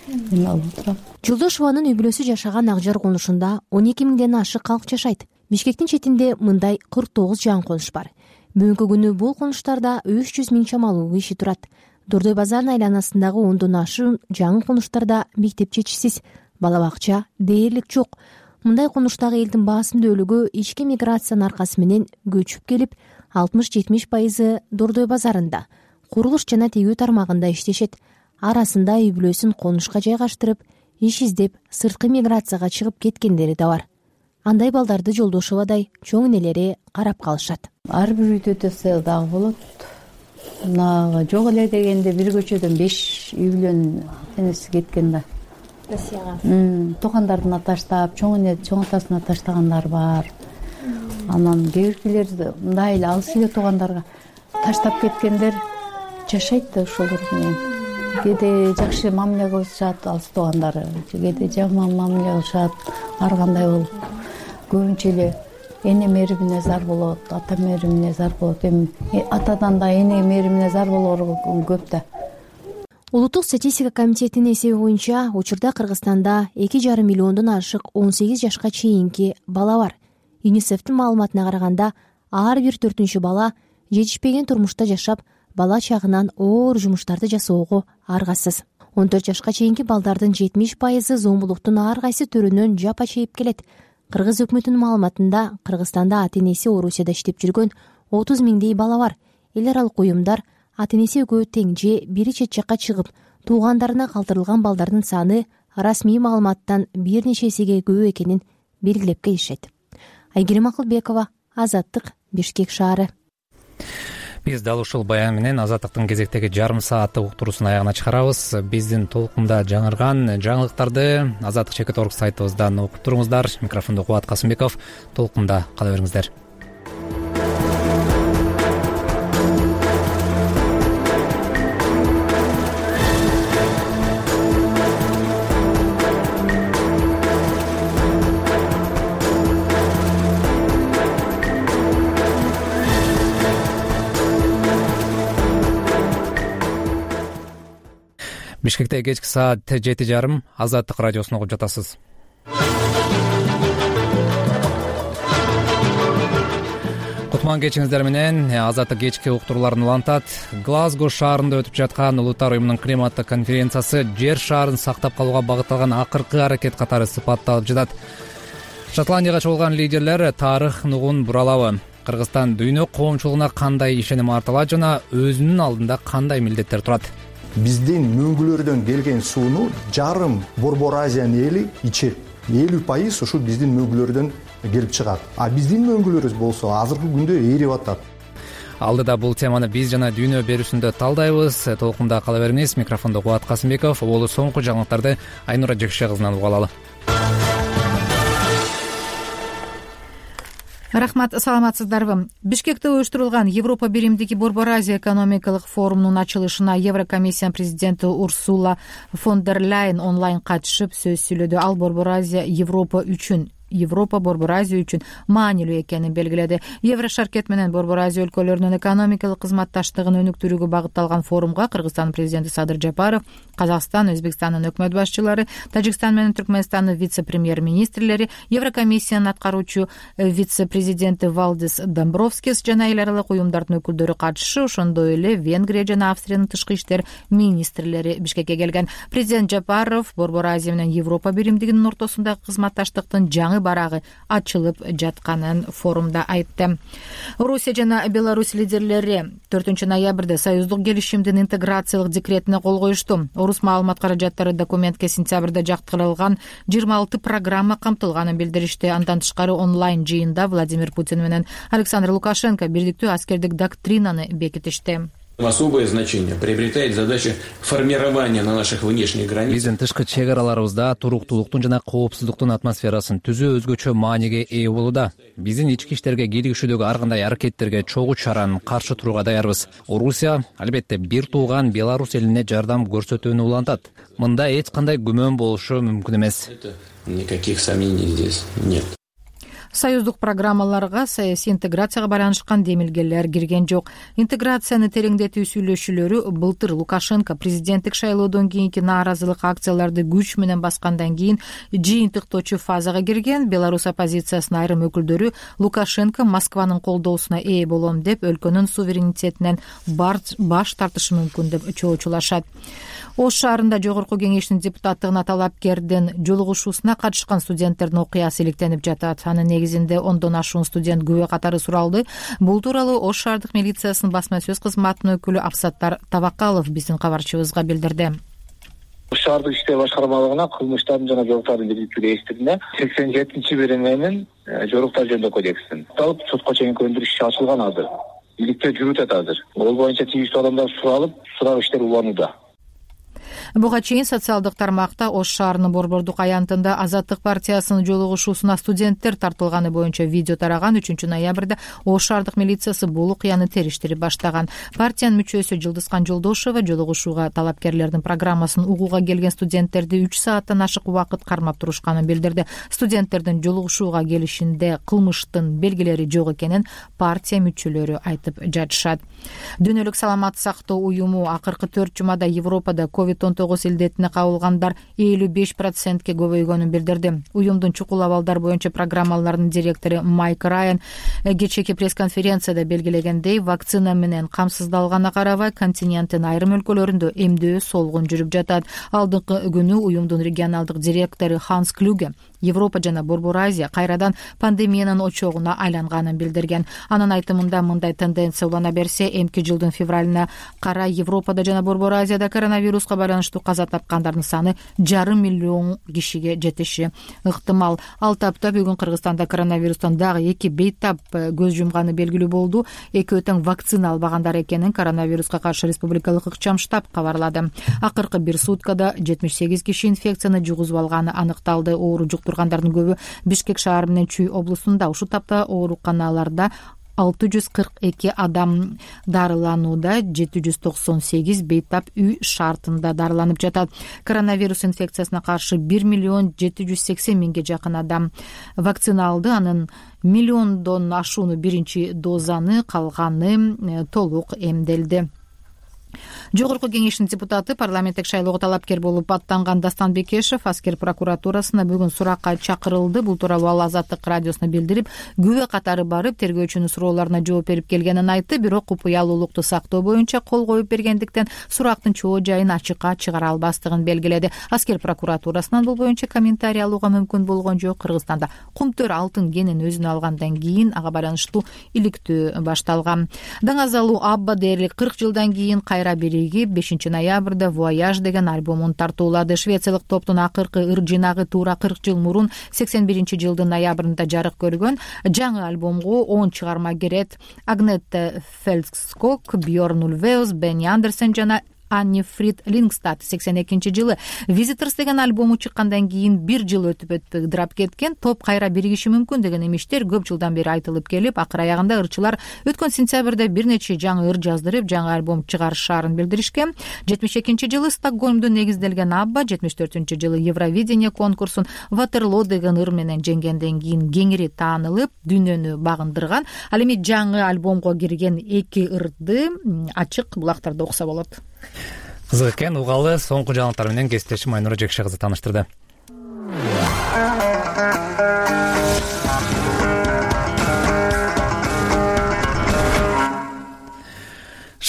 неме кылып отурам. Жолдошованын үй бүлөсү жашаган Акжар конушунда он эки миңден ашык калк жашайт. Бишкектин четинде мындай кырк тогуз жан конуш бар. Бүгүнкү күнү бул конуштарда үч жүз миң чамалуу киши турат. Дордой базарынын айланасындагы ондон ашуун жаңы конуштарда мектеп жетишсиз, бала бакча дээрлик жок. Мындай конуштагы элдин баасындуулугу ички миграциянын аркасы менен көчүп келип, алтымыш жетимиш пайызы Дордой базарында, курулуш жана тигүү тармагында иштешет. Арасында үй бүлөсүн конушка жайгаштырып, иш издеп, сырткы миграцияга чыгып кеткендери да бар. Андай балдарды Жолдошовадай чоң энелери карап калышат. Ар бир үйдө десе дагы болот. Мына жок эле дегенде бир көчөдөн беш үй бүлөнүн энеси кеткен да. Россияга. Туугандарына таштап, чоң эне чоң атасына таштагандар бар. Анан кээ биркилер мындай эле алыс эле туугандарга таштап кеткендер жашайт да ошолор менен. Кээде жакшы мамиле кылышат алыс туугандары, кээде жаман мамиле кылышат, ар кандай болуп. Көбүнчө эле эне мээримине зар болот, ата мээримине зар болот. Эми атадан да эне мээримине зар болор көп да. Улуттук статистика комитетинин эсеби боюнча учурда Кыргызстанда эки жарым миллиондон ашык он сегиз жашка чейинки бала бар. ЮНИСЕФтин маалыматына караганда, ар бир төртүнчү бала жетишпеген турмушта жашап, бала чагынан оор жумуштарды жасоого аргасыз. он төрт жашка чейинки балдардын жетимиш пайызы зомбулуктун ар кайсы түрүнөн жапа чейип келет. Кыргыз өкмөтүнүн маалыматында Кыргызстанда ата энеси Орусияда иштеп жүргөн отуз миңдей бала бар. Эл аралык уюмдар ата энеси экөө тең же бири чет жакка чыгып туугандарына калтырылган балдардын саны расмий маалыматтан бир нече эсеге көп экенин белгилеп келишет. Айгерим Акылбекова, Азаттык, Бишкек шаары. Биз дал ушул баян менен Азаттыктын кезектеги жарым сааттык уктуруусун аягына чыгарабыз. Биздин толкунда жаңырган жаңылыктарды азаттык чекит орг сайтыбыздан окуп туруңуздар. Микрофондо Кубат Касымбеков. Толкунда кала бериңиздер. Бишкекте кечки саат жети жарым Азаттык радиосун угуп жатасыз. Кутман кечиңиздер менен Азаттык кечки уктурууларын улантат. Глазго шаарында өтүп жаткан Улуттар уюмунун климаттык конференциясы жер шаарын сактап калууга багытталган акыркы аракет катары сыпатталып жатат. Шотландияга чогулган лидерлер тарых нугун буралабы, Кыргызстан дүйнө коомчулугуна кандай ишеним артылат жана өзүнүн алдында кандай милдеттер турат? Биздин мөңгүлөрдөн келген сууну жарым Борбор Азиянын эли ичет. элүү пайыз ушул биздин мөңгүлөрдөн келип чыгат. А биздин мөңгүлөрүбүз болсо азыркы күндө эрип атат. Алдыда бул теманы биз жана дүйнө берүүсүндө талдайбыз. Толкунда кала бериңиз. Микрофондо Кубат Касымбеков. Болу соңку жаңылыктарды Айнура Жекше кызынан угуп алалы. Рахмат, саламатсыздарбы? Бишкекте уюштурулган Европа биримдиги Борбор Азия экономикалык форумунун ачылышына Еврокомиссия президенти Урсула фон дер Ляйен онлайн катышып сөз сүйлөдү. Ал Борбор Азия Европа үчүн Европа Борбор Азия үчүн маанилүү экенин белгиледи. Еврошаркет менен Борбор Азия өлкөлөрүнүн экономикалык кызматташтыгын өнүктүрүүгө багытталган форумга Кыргызстандын президенти Садыр Жапаров, Казакстан, Өзбекстандын өкмөт башчылары, Тажикстан менен Түркмөнстандын вице-премьер-министрлери, Еврокомиссиянын аткаруучу вице-президенти Валдис Домбровскис жана эл аралык уюмдардын өкүлдөрү катышты. Ошондой эле Венгрия жана Австриянын тышкы иштер министрлери Бишкекке келген. Президент Жапаров Борбор Азия менен Европа биримдигинин ортосундагы кызматташтыктын жаңы барагы ачылып жатканын форумда айтты. Орусия жана Беларусь лидерлери төртүнчү ноябрда союздук келишимдин интеграциялык декретине кол коюшту. Орус маалымат каражаттары документке сентябрда жактырылган жыйырма алты программа камтылганын билдиришти. Андан тышкары онлайн жыйында Владимир Путин менен Александр Лукашенко бирдиктүү аскердик доктринаны бекитишти. Особое значение приобретает задача формирования на наших внешних границах. Биздин тышкы чек араларыбызда туруктуулуктун жана коопсуздуктун атмосферасын түзүү өзгөчө мааниге ээ болууда. Биздин ички иштерге киргизүүдөгү ар кандай аракеттерге чогуу чараны каршы турууга даярбыз. Орусия албетте бир тууган Беларусь элине жардам көрсөтүүнү улантат. Мында эч кандай күмөн болушу мүмкүн эмес. Никаких сомнений здесь нет. Союздук программаларга саясий интеграцияга байланышкан демилгелер кирген жок. Интеграцияны тереңдетүү сүйлөшүүлөрү былтыр Лукашенко президенттик шайлоодон кийинки нааразылык акцияларды күч менен баскандан кийин жыйынтыктоочу фазага кирген. Беларусь оппозициясынын айрым өкүлдөрү Лукашенко Москванын колдоосуна ээ болом деп өлкөнүн суверенитетинен баш тартышы мүмкүн деп чоочулашат. Ош шаарында жогорку кеңештин депутаттыгына талапкердин жолугушуусуна катышкан студенттердин окуясы иликтенип жатат. Анын негизинде ондон ашуун студент күбө катары суралды. Бул тууралуу Ош шаардык милициясынын басма сөз кызматынын өкүлү Абсаттар Табакалов биздин кабарчыбызга билдирди. Ош шаардык иштер башкармалыгына кылмыштардын жана жоруктардын бирдиктүү реестринде сексен жетинчи берененин жоруктар жөнүндө кодексин алып сотко чейинки өндүрүш иши ачылган азыр. Иликтөө жүрүп атат азыр. Ол боюнча тийиштүү адамдар суралып, сурак иштери уланууда. Буга чейин социалдык тармакта Ош шаарынын Борбордук аянтында Азаттык партиясынын жолугушуусуна студенттер тартылганы боюнча видео тараган. Үчүнчү ноябрда Ош шаардык милициясы бул окуяны териштирип баштаган. Партиянын мүчөсү Жылдызкан Жолдошева жолугушууга талапкерлердин программасын угууга келген студенттерди үч сааттан ашык убакыт кармап турушканын билдирди. Студенттердин жолугушууга келишинде кылмыштын белгилери жок экенин партия мүчөлөрү айтып жатышат. Дүйнөлүк саламат сактоо уюму акыркы төрт жумада Европада ковид он тогуз илдетине кабылгандар элүү беш процентке көбөйгөнүн билдирди. Уюмдун чукул абалдар боюнча программаларынын директору Майк Райан кечээки пресс-конференцияда белгилегендей, вакцина менен камсыздалганына карабай континенттин айрым өлкөлөрүндө эмдөө солгун жүрүп жатат. Алдыңкы күнү уюмдун регионалдык директору Ханс Клюге Европа жана Борбор Азия кайрадан пандемиянын очогуна айланганын билдирген. Анын айтымында мындай тенденция улана берсе, эмки жылдын февралына карай Европада жана Борбор Азияда коронавируска байланыштуу каза тапкандардын саны жарым миллион кишиге жетиши ыктымал. Ал тапта бүгүн Кыргызстанда коронавирустан дагы эки бейтап көз жумганы белгилүү болду. Экөө тең вакцина албагандар экенин коронавируска каршы республикалык ыкчам штаб кабарлады. Акыркы бир суткада жетимиш сегиз киши инфекцияны жугузуп алганы аныкталды. Оору жуктургандардын көбү Бишкек шаар менен Чүй облусунда. Ушул тапта ооруканаларда алты жүз кырк эки адам дарыланууда, жети жүз токсон сегиз бейтап үй шартында дарыланып жатат. Коронавирус инфекциясына каршы бир миллион жети жүз сексен миңге жакын адам вакцина алды. Анын миллиондон ашууну биринчи дозаны, калганы толук эмделди. Жогорку кеңештин депутаты, парламенттик шайлоого талапкер болуп аттанган Дастан Бекешев аскер прокуратурасына бүгүн суракка чакырылды. Бул тууралуу ал Азаттык радиосуна билдирип, күбө катары барып тергөөчүнүн суроолоруна жооп берип келгенин айтты. Бирок купуялуулукту сактоо боюнча кол коюп бергендиктен сурактын чоо жайын ачыкка чыгара албастыгын белгиледи. Аскер прокуратурасынан бул боюнча комментарий алууга мүмкүн болгон жок. Кыргызстанда кумтөр алтын кенин өзүнө алгандан кийин ага байланыштуу иликтөө башталган. Даңазалуу Абба дээрлик кырк жылдан кийин кайра бири бешинчи ноябрда Voyage деген альбомун тартуулады. Швециялык топтун акыркы ыр жинагы туура кырк жыл мурун сексен биринчи жылдын ноябрында жарык көргөн. Жаңы альбомго он чыгарма кирет. Агнетте Фелдскок, Бьорн Ульвеус, Бенни Андерсен жана Анни Фрид Лингстад сексен экинчи жылы Visitors деген альбому чыккандан кийин бир жыл өтүп өтүп ыдырап кеткен. Топ кайра биригиши мүмкүн деген имиштер көп жылдан бери айтылып келип, акыр аягында ырчылар өткөн сентябрда бир нече жаңы ыр жаздырып, жаңы альбом чыгарышаарын билдиришкен. жетимиш экинчи жылы Стокгольмдо негизделген Абба жетимиш төртүнчү жылы Евровидение конкурсун Ватерлоо деген ыр менен жеңгенден кийин кеңири таанылып, дүйнөнү багындырган. Ал эми жаңы альбомго кирген эки ырды ачык булактарда окуса болот. Кызык экен, угалы. Соңку жаңылыктар менен кесиптешим Айнура Жекше кызы тааныштырды.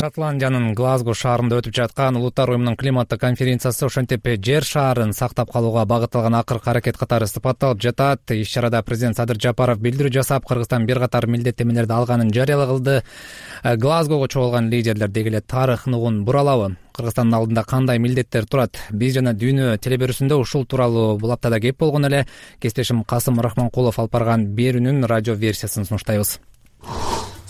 Шотландиянын Глазго шаарында өтүп жаткан Улуттар уюмунун климаттык конференциясы ошентип жер шаарын сактап калууга багытталган акыркы аракет катары сыпатталып жатат. Иш-чарада президент Садыр Жапаров билдирүү жасап, Кыргызстан бир катар милдеттенмелерди алганын жарыялагылды. Глазгого чогулган лидерлер деги эле тарых нугун буралабы? Кыргызстандын алдында кандай милдеттер турат? Биз жана дүйнө телеберүүсүндө ушул тууралуу бул аптада кеп болгон эле. Кесиптешим Касым Рахманкулов алып барган берүүнүн радио версиясын сунуштайбыз.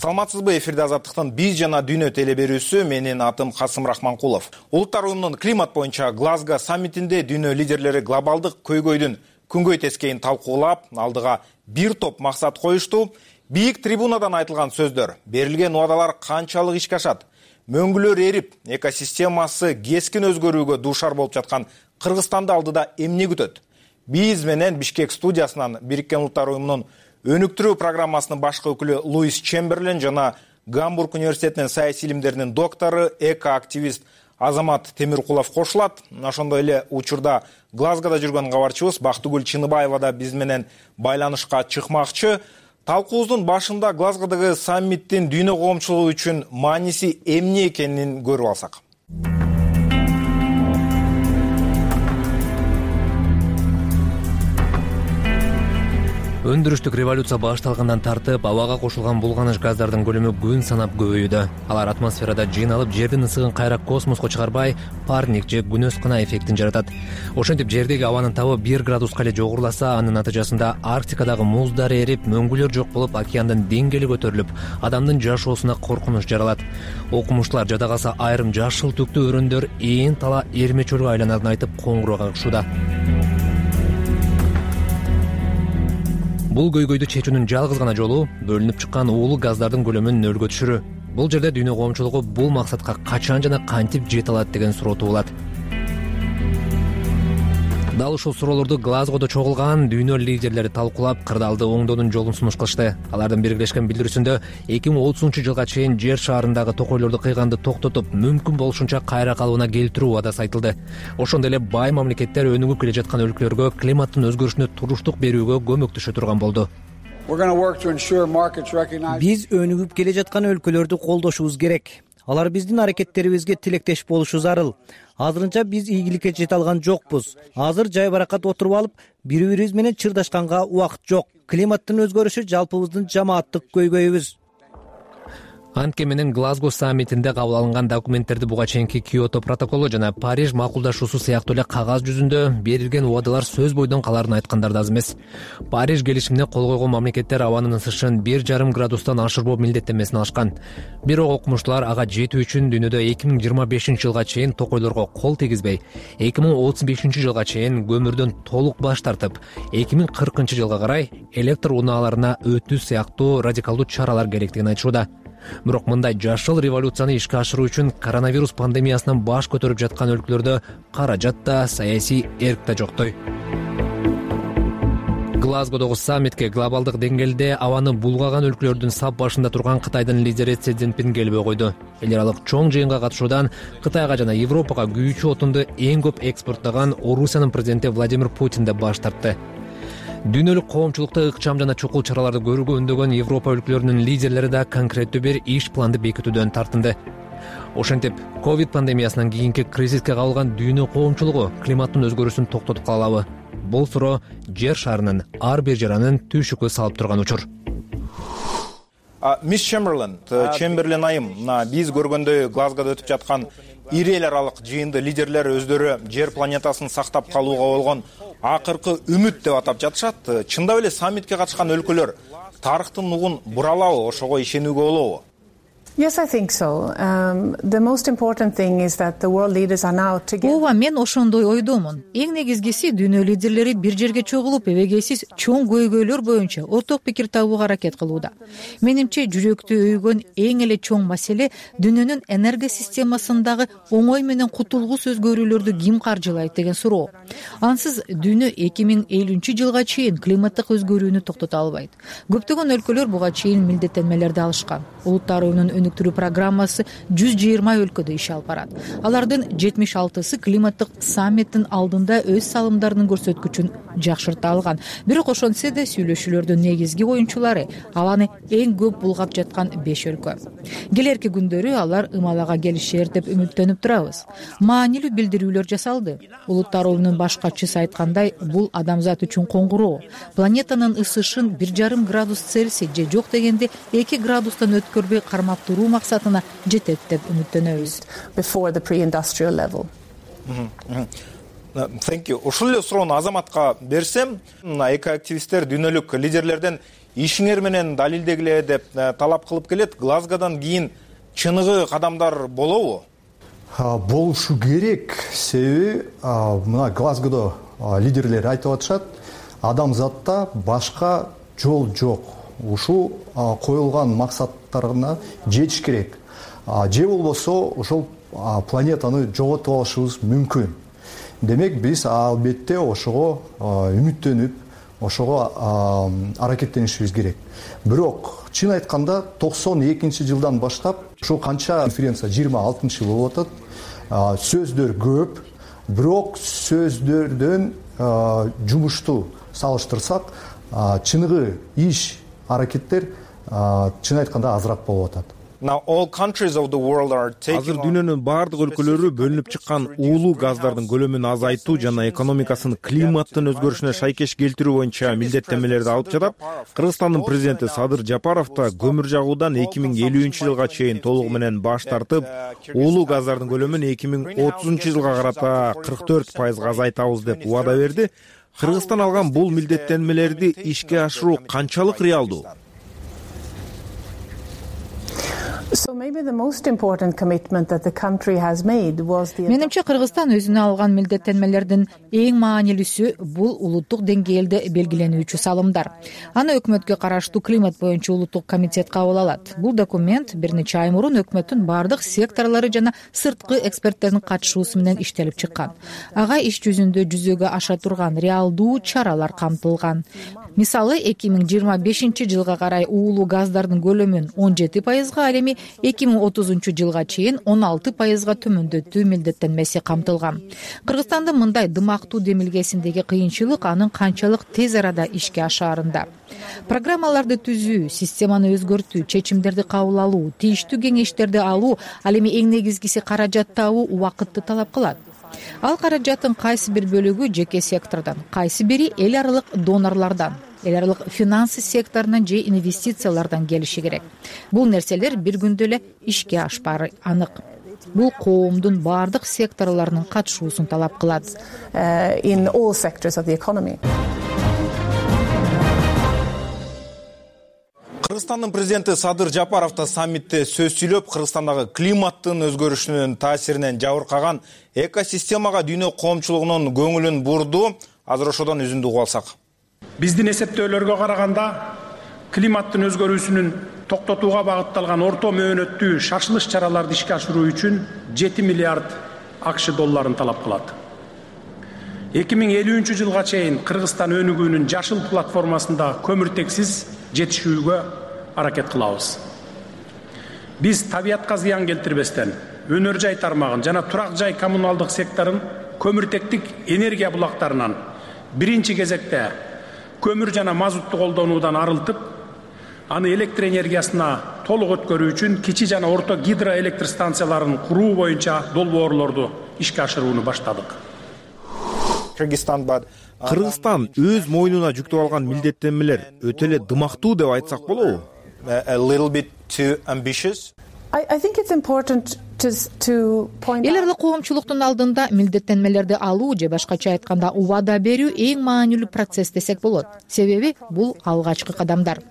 Саламатсызбы? Эфирде Азаттыктын биз жана дүйнө телеберүүсү. Менин атым Касым Рахманкулов. Улуттар уюмунун климат боюнча Глазго саммитинде дүйнө лидерлери глобалдык көйгөйдүн күнгөй тескейин талкуулап, алдыга бир топ максат коюшту. Бийик трибунадан айтылган сөздөр, берилген убадалар канчалык ишке ашат? Мөңгүлөр эрип, экосистемасы кескин өзгөрүүгө дуушар болуп жаткан Кыргызстанды алдыда эмне күтөт? Биз менен Бишкек студиясынан Бириккен Улуттар уюмунун өнүктүрүү программасынын башкы өкүлү Луис Чемберлен жана Гамбург университетинин саясий илимдеринин доктору, эко-активист Азамат Темиркулов кошулат. Ошондой эле учурда Глазгода жүргөн кабарчыбыз Бактыгүл Чыныбаева да биз менен байланышка чыкмакчы. Талкуубуздун башында Глазгодогу саммиттин дүйнө коомчулугу үчүн мааниси эмне экенин көрүп алсак. Өндүрүштүк революция башталгандан тартып, абага кошулган булганыч газдардын көлөмү күн санап көбөйүүдө. Алар атмосферада жыйналып, жердин ысыгын кайра космоско чыгарбай, парник же күнөс кына эффектин жаратат. Ошентип жердеги абанын табы бир градуска эле жогоруласа, анын натыйжасында Арктикадагы муздар эрип, мөңгүлөр жок болуп, океандын деңгээли көтөрүлүп, адамдын жашоосуна коркунуч жаралат. Окумуштуулар жада калса айрым жашыл түктүү өрөндөр ээн тала эрме чөлгө айланарын айтып коңгуроо кагышууда. Бул көйгөйдү чечүүнүн жалгыз гана жолу бөлүнүп чыккан уулуу газдардын көлөмүн нөлгө түшүрүү. Бул жерде дүйнө коомчулугу бул максатка качан жана кантип жете алат деген суроо туулат. Дал ушул суроолорду Глазгодо чогулган дүйнө лидерлери талкуулап, кырдаалды оңдоонун жолун сунуш кылышты. Алардын биргелешкен билдирүүсүндө эки миң отузунчу жылга чейин жер шаарындагы токойлорду кыйганды токтотуп, мүмкүн болушунча кайра калыбына келтирүү убадасы айтылды. Ошондой эле бай мамлекеттер өнүгүп келе жаткан өлкөлөргө климаттын өзгөрүшүнө туруштук берүүгө көмөктөшө турган болду. Биз өнүгүп келе жаткан өлкөлөрдү колдошубуз керек. алар биздин аракеттерибизге тилектеш болушу зарыл. Азырынча биз ийгиликке жете алган жокпуз. Азыр жай баракат отуруп алып, бири бирибиз менен чырдашканга убакыт жок. Климаттын өзгөрүшү жалпыбыздын жамааттык көйгөйүбүз. Антке менен Глазго саммитинде кабыл алынган документтерди буга чейинки Киото протоколу жана Париж макулдашуусу сыяктуу эле кагаз жүзүндө берилген убадалар сөз бойдон каларын айткандар да аз эмес. Париж келишимине кол койгон мамлекеттер абанын ысышын бир жарым градустан ашырбоо милдеттенмесин алышкан. Бирок окумуштуулар ага жетүү үчүн дүйнөдө эки миң жыйырма бешинчи жылга чейин токойлорго кол тийгизбей, эки миң отуз бешинчи жылга чейин көмүрдөн толук баш тартып, эки миң кыркынчы жылга карай электр унааларына өтүү сыяктуу радикалдуу чаралар керектигин айтышууда. Бирок мындай жашыл революцияны ишке ашыруу үчүн коронавирус пандемиясынан баш көтөрүп жаткан өлкөлөрдө каражат да, саясий эрк да жоктой. Глазгодогу саммитке глобалдык деңгээлде абаны булгаган өлкөлөрдүн сап башында турган Кытайдын лидери Си Цзиньпин келбей койду. Эл аралык чоң жыйынга катышуудан Кытайга жана Европага күйүүчү отунду эң көп экспорттогон Орусиянын президенти Владимир Путин да баш тартты. Дүйнөлүк коомчулукта ыкчам жана чукул чараларды көрүүгө үндөгөн Европа өлкөлөрүнүн лидерлери да конкреттүү бир иш планды бекитүүдөн тартынды. Ошентип, ковид пандемиясынан кийинки кризиске кабылган дүйнө коомчулугу климаттын өзгөрүүсүн токтотуп кала алабы? Бул суроо жер шарынын ар бир жаранын түйшүккө салып турган учур. Мисс Чемберлен, Чемберлен айым, биз көргөндөй Глазгода өтүп жаткан ири эл аралык жыйынды лидерлер өздөрү жер планетасын сактап калууга болгон акыркы үмүт деп атап жатышат. Чындап эле саммитке катышкан өлкөлөр тарыхтын угун буралабы, ошого ишенүүгө болобу? Yes, I think so. Um, the most important thing is that the world leaders are now together. Ооба, мен ошондой ойдомун. Эң негизгиси дүйнө лидерлери бир жерге чогулуп, эбегейсиз чоң көйгөйлөр боюнча орток пикир табууга аракет кылууда. Менимче, жүрөктү өйгөн эң эле чоң маселе дүйнөнүн энергия системасындагы оңой менен кутулгус өзгөрүүлөрдү ким каржылайт деген суроо. Ансыз дүйнө эки миң элүүнчү жылга чейин климаттык өзгөрүүнү токтото албайт. Көптөгөн өлкөлөр буга чейин милдеттенмелерди алышкан. Улуттар оюнун өнүктүрүү программасы жүз жыйырма өлкөдө иш алып барат. Алардын жетимиш алтысы климаттык саммиттин алдында өз салымдарынын көрсөткүчүн жакшырта алган. Бирок ошентсе да сүйлөшүүлөрдүн негизги оюнчулары абаны эң көп булгап жаткан беш өлкө. Келерки күндөрү алар ымалага келишер деп үмүттөнүп турабыз. Маанилүү билдирүүлөр жасалды. Улуттар оюнунун баш катчысы айткандай, бул адамзат үчүн коңгуроо. Планетанын ысышын бир жарым градус Цельсий же жок дегенде эки градустан өткөрбөй кармап туруу максатына жетет деп үмүттөнөбүз. Before the pre-industrial level. Thank you. Ушул эле суроону Азаматка берсем, экоактивисттер дүйнөлүк лидерлерден ишиңер менен далилдегиле деп талап кылып келет. Глазгодан кийин чыныгы кадамдар болобу? Болушу керек. Себеби мына Глазгодо лидерлер айтып атышат, адамзатта башка жол жок. Ушул коюлган максаттарына жетиш керек. Же болбосо ошол планетаны жоготуп алышыбыз мүмкүн. Демек биз албетте ошого үмүттөнүп, ошого аракеттенишибиз керек. Бирок чын айтканда токсон экинчи жылдан баштап ушул канча конференция жыйырма алтынчы жыл болуп атат. Сөздөр көп, бирок сөздөрдөн жумушту салыштырсак, чыныгы иш аракеттер чын айтканда азыраак болуп атат. Азыр дүйнөнүн баардык өлкөлөрү бөлүнүп чыккан уулуу газдардын көлөмүн азайтуу жана экономикасын климаттын өзгөрүшүнө шайкеш келтирүү боюнча милдеттенмелерди алып жатат. Кыргызстандын президенти Садыр Жапаров да көмүр жагуудан эки миң элүүнчү жылга чейин толугу менен баш тартып, уулуу газдардын көлөмүн эки миң отузунчу жылга карата кырк төрт пайызга азайтабыз деп убада берди. Кыргызстан алган бул милдеттенмелерди ишке ашыруу канчалык реалдуу? Менимче Кыргызстан өзүнө алган милдеттенмелердин эң маанилүүсү бул улуттук деңгээлде белгиленүүчү салымдар. Аны өкмөткө караштуу климат боюнча улуттук комитет кабыл алат. Бул документ бир нече ай мурун өкмөттүн бардык секторлору жана сырткы эксперттердин катышуусу менен иштелип чыккан. Ага иш жүзүндө жүзөгө аша турган реалдуу чаралар камтылган. Мисалы, эки миң жыйырма бешинчи жылга карай уулуу газдардын көлөмүн он жети пайызга, ал эми эки миң отузунчу жылга чейин он алты пайызга төмөндөтүү милдеттенмеси камтылган. Кыргызстандын мындай дымактуу демилгесиндеги кыйынчылык анын канчалык тез арада ишке ашаарында. Программаларды түзүү, системаны өзгөртүү, чечимдерди кабыл алуу, тийиштүү кеңештерди алуу, ал эми эң негизгиси каражат табуу убакытты талап кылат. Ал каражаттын кайсы бир бөлүгү жеке сектордон, кайсы бири эл аралык донорлордон, эл аралык финансы секторунан же инвестициялардан келиши керек. Бул нерселер бир күндө эле ишке ашпаары анык. Бул коомдун бардык секторлорунун катышуусун талап кылат. In all sectors of the economy. Кыргызстандын президенти Садыр Жапаров да саммитте сөз сүйлөп, Кыргызстандагы климаттын өзгөрүшүнүн таасиринен жабыркаган экосистемага дүйнө коомчулугунун көңүлүн бурду. Азыр ошодон үзүндү угуп алсак. Биздин эсептөөлөргө караганда климаттын өзгөрүүсүнүн токтотууга багытталган орто мөөнөттүү шашылыш чараларды ишке ашыруу үчүн жети миллиард АКШ долларын талап кылат. эки миң элүүнчү жылга чейин Кыргызстан өнүгүүнүн жашыл платформасында көмүртексиз жетишүүгө аракет кылабыз. Биз табиятка зыян келтирбестен өнөр жай тармагын жана турак жай коммуналдык секторун көмүртектик энергия булактарынан биринчи кезекте көмүр жана мазутту колдонуудан арылтып, аны электр энергиясына толук өткөрүү үчүн кичи жана орто гидроэлектр станцияларын куруу боюнча долбоорлорду ишке ашырууну баштадык. Кыргызстан өз мойнуна жүктөп алган милдеттенмелер өтө эле дымактуу деп айтсак болобу? A little bit too ambitious. I, I think it's important to, to point Эл аралык коомчулуктун алдында милдеттенмелерди алуу же башкача айтканда убада берүү эң маанилүү процесс десек болот. Себеби бул алгачкы кадамдар.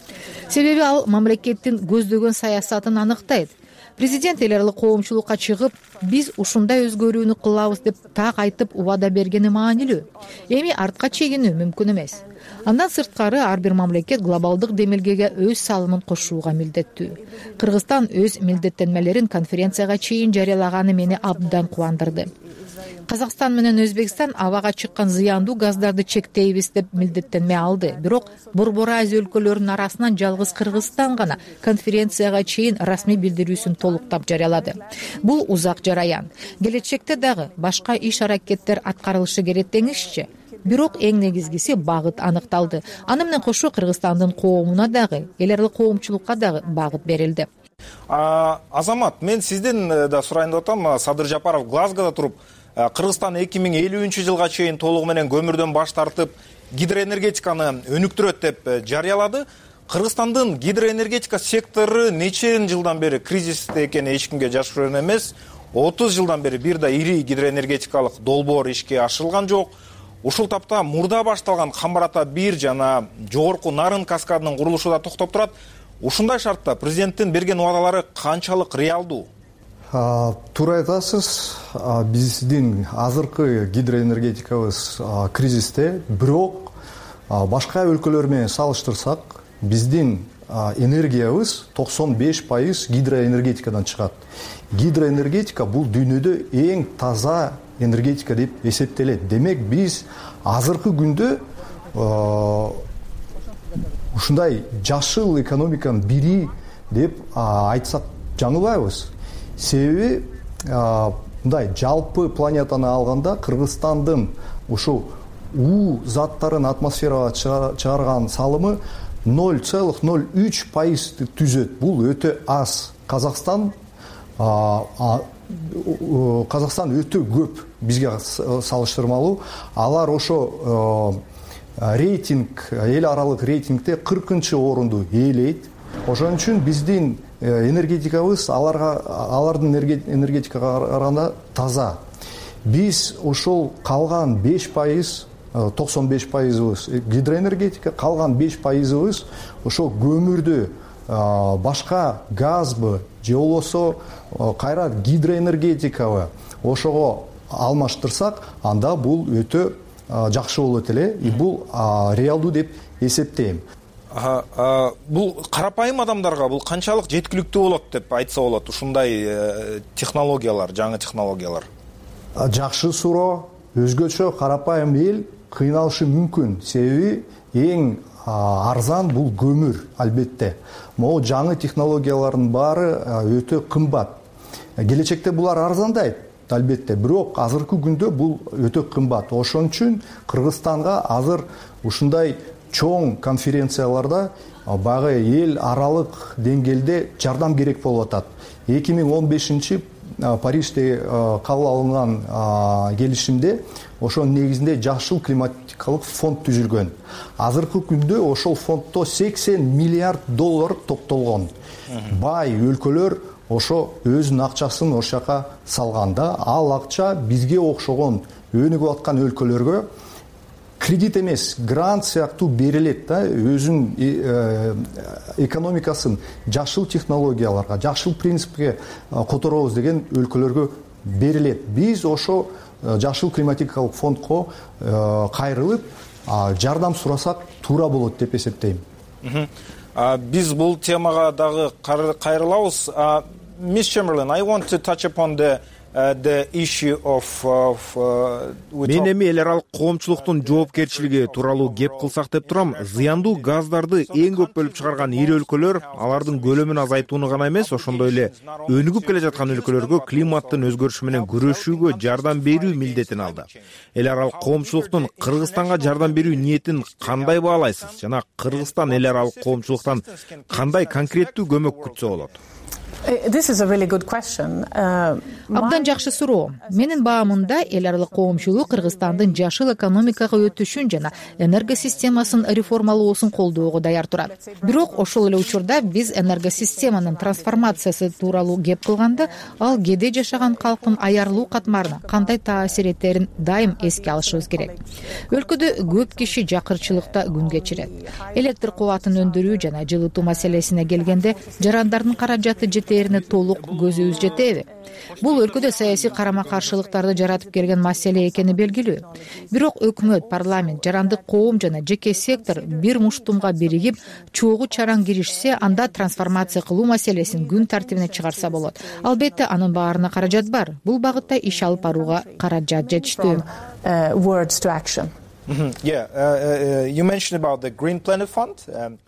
Себеби ал мамлекеттин көздөгөн саясатын аныктайт. Президент эл аралык коомчулукка чыгып, биз ушундай өзгөрүүнү кылабыз деп так айтып убада бергени маанилүү. Эми артка чегинүү мүмкүн эмес. Андан сырткары ар бир мамлекет глобалдык демилгеге өз салымын кошууга милдеттүү. Кыргызстан өз милдеттенмелерин конференцияга чейин жарыялаганы мени абдан кубандырды. Казакстан менен Өзбекстан абага чыккан зыяндуу газдарды чектейбиз деп милдеттенме алды. Бирок Борбор Азия өлкөлөрүнүн арасынан жалгыз Кыргызстан гана конференцияга чейин расмий билдирүүсүн толуктап жарыялады. Бул узак жараян. Келечекте дагы башка иш аракеттер аткарылышы керек деңизчи. Бирок эң негизгиси багыт аныкталды. Аны менен кошо Кыргызстандын коомуна дагы, эл аралык коомчулукка дагы багыт берилди. Азамат, мен сизден да сурайын деп атам. Садыр Жапаров Глазгода туруп, Кыргызстан эки миң элүүнчү жылга чейин толугу менен көмүрдөн баш тартып, гидроэнергетиканы өнүктүрөт деп жарыялады. Кыргызстандын гидроэнергетика сектору нече жылдан бери кризисте экени эч кимге жашыруун эмес. отуз жылдан бери бир да ири гидроэнергетикалык долбоор ишке ашырылган жок. Ушул тапта мурда башталган Камбар-Ата бир жана жогорку Нарын каскадынын курулушу да токтоп турат. Ушундай шартта президенттин берген убадалары канчалык реалдуу? Туура айтасыз, биздин азыркы гидроэнергетикабыз кризисте, бирок башка өлкөлөр менен салыштырсак, биздин энергиябыз токсон беш пайыз гидроэнергетикадан чыгат. Гидроэнергетика бул дүйнөдө эң таза энергетика деп эсептелет. Демек биз азыркы күндө ушундай жашыл экономиканын бири деп айтсак жаңылбайбыз. Себеби мындай жалпы планетаны алганда Кыргызстандын ушул уу заттарын атмосферага чыгарган салымы ноль целых ноль үч пайызды түзөт. Бул өтө аз. Казакстан Казакстан өтө көп бизге салыштырмалуу. Алар ошо рейтинг, эл аралык рейтингде кыркынчы орунду ээлейт. Ошон үчүн биздин энергетикабыз аларга, алардын энергетикага караганда таза. Биз ошол калган беш пайыз, токсон беш пайызыбыз гидроэнергетика, калган беш пайызыбыз ошол көмүрдү, башка газбы же болбосо кайра гидроэнергетикабы ошого алмаштырсак, анда бул өтө жакшы болот эле. И бул реалдуу деп эсептейм. Бул карапайым адамдарга бул канчалык жеткиликтүү болот деп айтса болот, ушундай технологиялар, жаңы технологиялар? Жакшы суроо. Өзгөчө карапайым эл кыйналышы мүмкүн. Себеби эң арзан бул көмүр, албетте. Могу жаңы технологиялардын баары өтө кымбат. Келечекте булар арзандайт, албетте, бирок азыркы күндө бул өтө кымбат. Ошон үчүн Кыргызстанга азыр ушундай чоң конференцияларда баягы эл аралык деңгээлде жардам керек болуп атат. эки миң он бешинчи Парижде кабыл алынган келишимде ошонун негизинде жашыл климатикалык фонд түзүлгөн. Азыркы күндө ошол фонддо сексен миллиард доллар топтолгон. Бай өлкөлөр ошо өзүнүн акчасын ошол жака салганда, ал акча бизге окшогон өнүгүп аткан өлкөлөргө кредит эмес, грант сыяктуу берилет да, өзүнүн экономикасын жашыл технологияларга, жашыл принципке которобуз деген өлкөлөргө берилет. Биз ошо жашыл климатикалык фондко кайрылып жардам сурасак туура болот деп эсептейм. Биз бул темага дагы кайрылабыз. Мисс Chamberlain, I want to touch upon the Uh, the issue of, of uh, мен эми эл аралык коомчулуктун жоопкерчилиги тууралуу кеп кылсак деп турам. Зыяндуу газдарды эң көп бөлүп чыгарган ири өлкөлөр алардын көлөмүн азайтууну гана эмес, ошондой эле өнүгүп келе жаткан өлкөлөргө климаттын өзгөрүшү менен күрөшүүгө жардам берүү милдетин алды. Эл аралык коомчулуктун Кыргызстанга жардам берүү ниетин кандай баалайсыз жана Кыргызстан эл аралык коомчулуктан кандай конкреттүү көмөк күтсө болот? This is a really good question. Uh, Абдан жакшы суроо. Менин баамымда эл аралык коомчулук Кыргызстандын жашыл экономикага өтүшүн жана энергосистемасын реформалоосун колдоого даяр турат. Бирок ошол эле учурда биз энергосистеманын трансформациясы тууралуу кеп кылганда, ал кээде жашаган калктын аярлуу катмарына кандай таасир этерин дайым эске алышыбыз керек. Өлкөдө көп киши жакырчылыкта күн кечирет. Электр кубатын өндүрүү жана жылытуу маселесине келгенде, жарандардын каражаты жетерине толук көзүбүз жетеби? Бул өлкөдө саясий карама-каршылыктарды жаратып келген маселе экени белгилүү. Бирок өкмөт, парламент, жарандык коом жана жеке сектор бир муштумга биригип, чогуу чараң киришсе, анда трансформация кылуу маселесин күн тартибине чыгарса болот. Албетте, анын баарына каражат бар. Бул багытта иш алып барууга каражат жетиштүү. Words to action. Yeah, uh, uh, you mentioned about the Green Planet Fund. Um,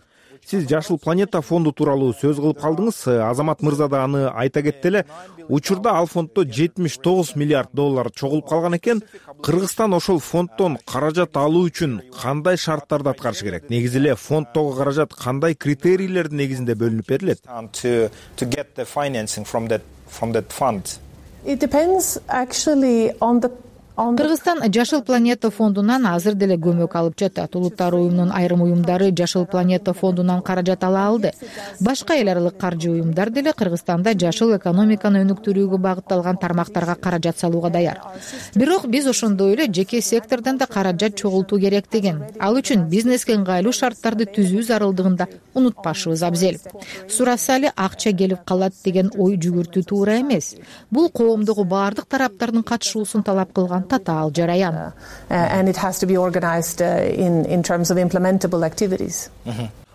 Сиз жашыл планета фонду тууралуу сөз кылып калдыңыз. Азамат мырза да аны айта кетти эле. Учурда ал фонддо жетимиш тогуз миллиард доллар чогулуп калган экен. Кыргызстан ошол фонддон каражат алуу үчүн кандай шарттарды аткарыш керек? Негизи эле фонддогу каражат кандай критерийлердин негизинде бөлүнүп берилет? To to get the financing from that from that fund. It depends actually on the Кыргызстан жашыл планета фондунан азыр деле көмөк алып жатат. Улуттар уюмунун айрым уюмдары жашыл планета фондунан каражат ала алды. Башка эл аралык каржы уюмдар деле Кыргызстанда жашыл экономиканы өнүктүрүүгө багытталган тармактарга каражат салууга даяр. Бирок биз ошондой эле жеке сектордон да каражат чогултуу керектигин, ал үчүн бизнеске ыңгайлуу шарттарды түзүү зарылдыгын да унутпашыбыз абзел. Сураса эле акча келип калат деген ой жүгүртүү туура эмес. Бул коомдогу баардык тараптардын катышуусун талап кылган татаал жараян. And it has to be organized in in terms of implementable activities.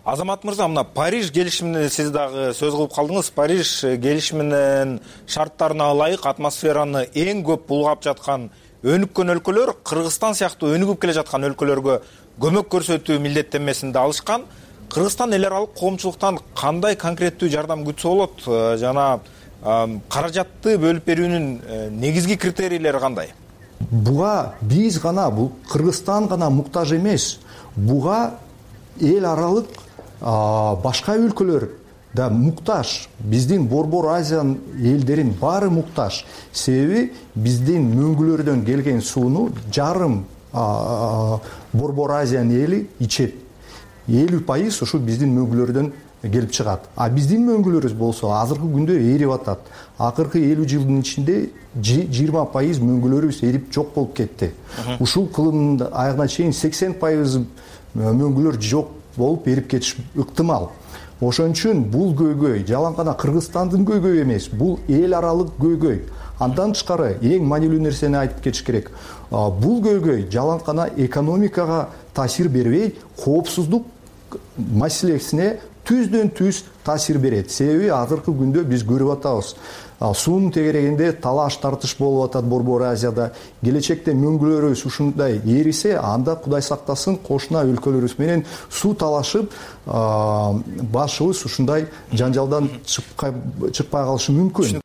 Азамат мырза, мына Париж келишимине сиз дагы сөз кылып калдыңыз. Париж келишиминин шарттарына ылайык атмосфераны эң көп булгап жаткан өнүккөн өлкөлөр Кыргызстан сыяктуу өнүгүп келе жаткан өлкөлөргө көмөк көрсөтүү милдеттенмесин да алышкан. Кыргызстан эл аралык коомчулуктан кандай конкреттүү жардам күтсө болот жана каражатты бөлүп берүүнүн негизги критерийлери кандай? Буга биз гана, бул Кыргызстан гана муктаж эмес. Буга эл аралык башка өлкөлөр да муктаж. Биздин Борбор Азиянын элдерин баары муктаж. Себеби биздин мөңгүлөрдөн келген сууну жарым Борбор Азиянын эли ичет. элүү пайыз ошо биздин мөңгүлөрдөн келип чыгат. А биздин мөңгүлөрүбүз болсо азыркы күндө эрип атат. Акыркы элүү жылдын ичинде жыйырма пайыз мөңгүлөрүбүз эрип жок болуп кетти. Ушул кылымдын аягына чейин сексен пайыз мөңгүлөр жок болуп эрип кетиш ыктымал. Ошон үчүн бул көйгөй жалаң гана Кыргызстандын көйгөйү эмес, бул эл аралык көйгөй. Андан тышкары эң маанилүү нерсени айтып кетиш керек. Бул көйгөй жалаң гана экономикага таасир бербей, коопсуздук маселесине түздөн түз таасир берет. Себеби азыркы күндө биз көрүп атабыз. Суунун тегерегинде талаш тартыш болуп атат Борбор Азияда. Келечекте мөңгүлөрүбүз ушундай эрисе, анда Кудай сактасын кошуна өлкөлөрүбүз менен суу талашып, башыбыз ушундай жанжалдан чыкпай калышы мүмкүн.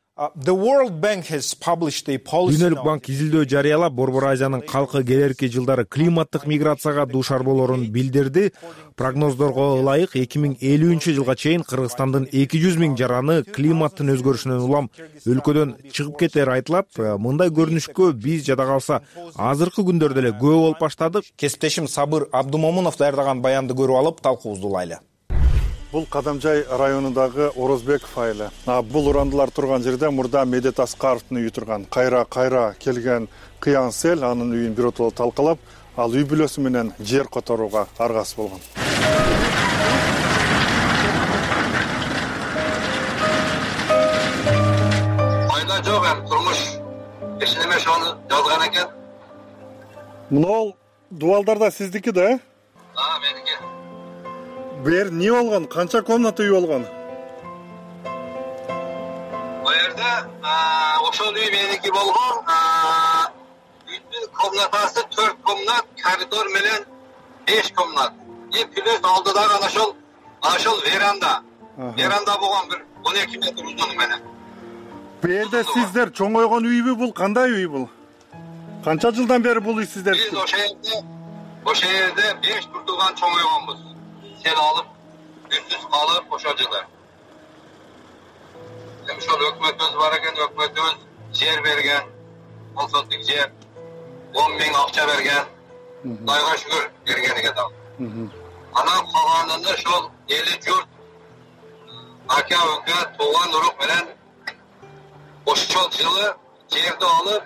Дүйнөлүк банк изилдөө жарыялап, Борбор Азиянын калкы келерки жылдары климаттык миграцияга дуушар болорун билдирди. Прогноздорго ылайык эки миң элүүнчү жылга чейин Кыргызстандын эки жүз миң жараны климаттын өзгөрүшүнөн улам өлкөдөн чыгып кетери айтылат. Мындай көрүнүшкө биз жада калса азыркы күндөрдө эле күбө болуп баштадык. Кесиптешим Сабыр Абдумомунов даярдаган баянды көрүп алып, талкуубузду улайлы. Бул Кадамжай районундагы Орозбеков айылы. Бул урандылар турган жерде мурда Медет Аскаровдун үйү турган. Кайра кайра келген кыян сел анын үйүн биротоло талкалап, ал үй бүлөсү менен жер которууга аргасыз болгон. Пайда жок эми турмуш эч неме ошону жазган экен. Мынол дубалдар да сиздики да, э? А, меники. Бу жер эмне болгон? Канча комната үй болгон? Бу жерде ошол үй меники болгон. Үйдүн комнатасы төрт комнат, коридор менен беш комнат. И плюс алдыдагы ana ошол ошол веранда. Веранда болгон бир он эки метр узуну менен. Бу жерде сиздер чоңойгон үйбү бул? Кандай үй бул? Канча жылдан бери бул үй сиздер? Биз ошол жерде ошол жерде беш туртуган чоңойгонбуз. Сел алып, үстүз калып ошол жылы. Эми ошол өкмөтүбүз бар экен, өкмөтүбүз жер берген, он сотик жер, он миң акча берген. Кудайга шүгүр бергениге да. Анан калганында ошол эли журт ака ука тууган урук менен ошол жылы жерди алып,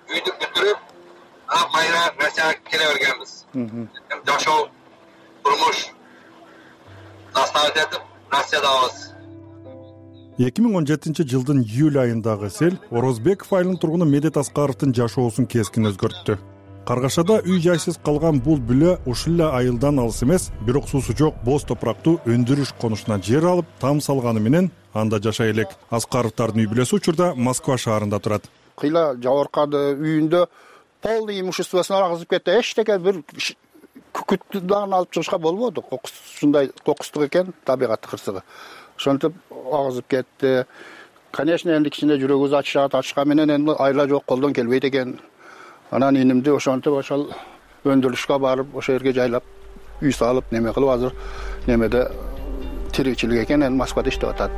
үйдү бүтүрүп, анан кайра Россияга келе бергенбиз. Эми жашоо турмуш наставить этип Россиядабыз. эки миң он жетинчи жылдын июль айындагы сел Орозбеков айылынын тургуну Медет Аскаровдун жашоосун кескин өзгөрттү. Каргашада үй жайсыз калган бул бүлө ушул эле айылдан алыс эмес, бирок суусу жок боз топурактуу өндүрүш конушуна жер алып, там салганы менен анда жашай элек. Аскаровдардын үй бүлөсү учурда Москва шаарында турат. Кыйла жабыркады үйүндө полный имуществосун алгызып кетти. Эчтеке бир күкүттү дагы алып чыгышка болбоду. Кокус ушундай кокустук экен, табигат кырсыгы. Ошентип агызып кетти. Конечно, энди кичине жүрөгүбүз ачышат, ачышка менен энди айла жок, колдон келбейт экен. Анан инимди ошентип ошол өндүрүшкө барып, ошол жерге жайлап, үй салып, неме кылып азыр немеде тиричилик экен, эми Москвада иштеп атат.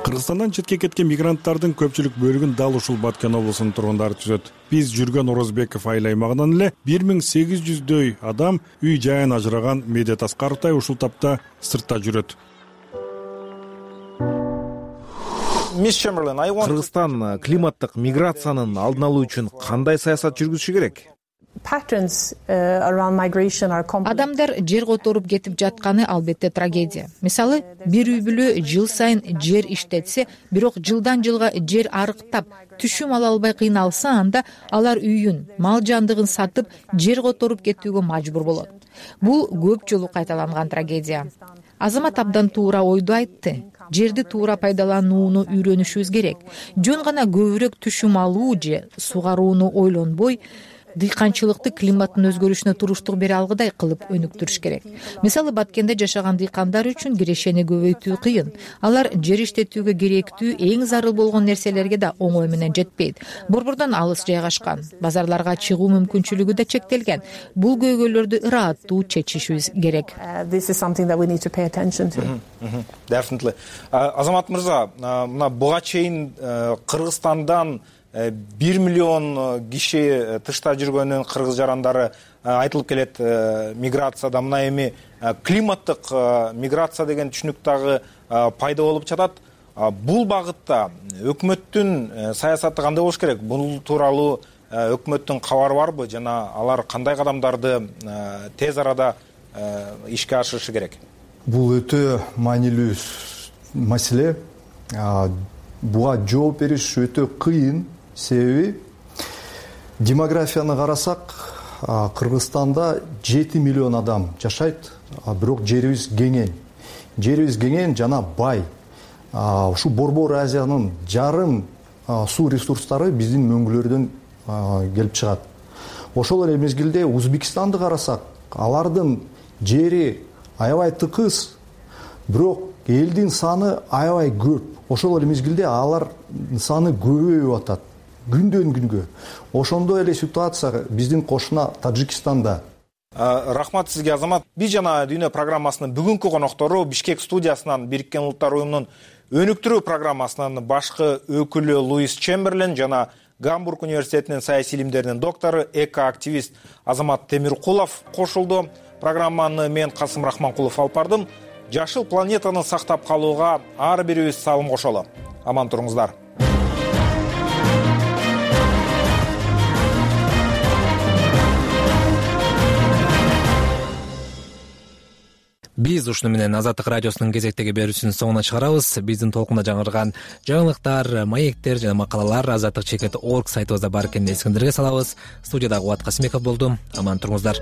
Кыргызстандан четке кеткен мигранттардын көпчүлүк бөлүгүн дал ушул Баткен облусунун тургундары түзөт. Биз жүргөн Орозбеков айыл аймагынан эле бир миң сегиз жүздөй адам үй жайын ажыраган Медет Аскаровдай ушул тапта сыртта жүрөт. Кыргызстан климаттык миграциянын алдын алуу үчүн кандай саясат жүргүзүшү керек? Адамдар жер которуп кетип жатканы албетте трагедия. Мисалы, бир үй бүлө жыл сайын жер иштетсе, бирок жылдан жылга жер арыктап, түшүм ала албай кыйналса, анда алар үйүн, мал жандыгын сатып, жер которуп кетүүгө мажбур болот. Бул көп жолу кайталанган трагедия. Азамат абдан туура ойду айтты. Жерди туура пайдаланууну үйрөнүшүбүз керек. Жөн гана көбүрөөк түшүм алуу же сугарууну ойлонбой, дыйканчылыкты климаттын өзгөрүшүнө туруштук бере алгыдай кылып өнүктүрүш керек. Мисалы, Баткенде жашаган дыйкандар үчүн кирешени көбөйтүү кыйын. Алар жер иштетүүгө керектүү эң зарыл болгон нерселерге да оңой менен жетпейт. Борбордон алыс жайгашкан, базарларга чыгуу мүмкүнчүлүгү да чектелген. Бул көйгөйлөрдү ырааттуу чечишибиз керек. Definitely. Азамат мырза, мына буга чейин Кыргызстандан бир миллион киши тышта жүргөнүн кыргыз жарандары айтылып келет миграцияда. Мына эми климаттык миграция деген түшүнүк дагы пайда болуп жатат. Бул багытта өкмөттүн саясаты кандай болуш керек? Бул тууралуу өкмөттүн кабары барбы жана алар кандай кадамдарды тез арада ишке ашырышы керек? Бул өтө маанилүү маселе. Буга жооп бериш өтө кыйын. Себеби демографияны карасак, Кыргызстанда жети миллион адам жашайт, бирок жерибиз кеңен. Жерибиз кеңен жана бай. Ушу Борбор Азиянын жарым суу ресурстары биздин мөңгүлөрдөн келип чыгат. Ошол эле мезгилде Узбекистанды карасак, алардын жери аябай тыкыз, бирок элдин саны аябай көп. Ошол эле мезгилде алардын саны көбөйүп атат күндөн күнгө. Ошондой эле ситуация биздин кошуна Тажикстанда. Рахмат сизге, Азамат. Биз жана дүйнө программасынын бүгүнкү коноктору Бишкек студиясынан Бириккен Улуттар уюмунун өнүктүрүү программасынын башкы өкүлү Луис Чемберлен жана Гамбург университетинин саясий илимдеринин доктору, эко-активист Азамат Темиркулов кошулду. Программаны мен Касым Рахманкулов алып бардым. Жашыл планетаны сактап калууга ар бирибиз салым кошолу. Аман туруңуздар. Биз ушуну менен Азаттык радиосунун кезектеги берүүсүнүн соңуна чыгарабыз. Биздин толкунда жаңырган жаңылыктар, маектер жана макалалар азаттык чекит точка орг сайтыбызда бар экенин эсиңиздерге салабыз. Студияда Кубат Касымбеков болду. Аман туруңуздар.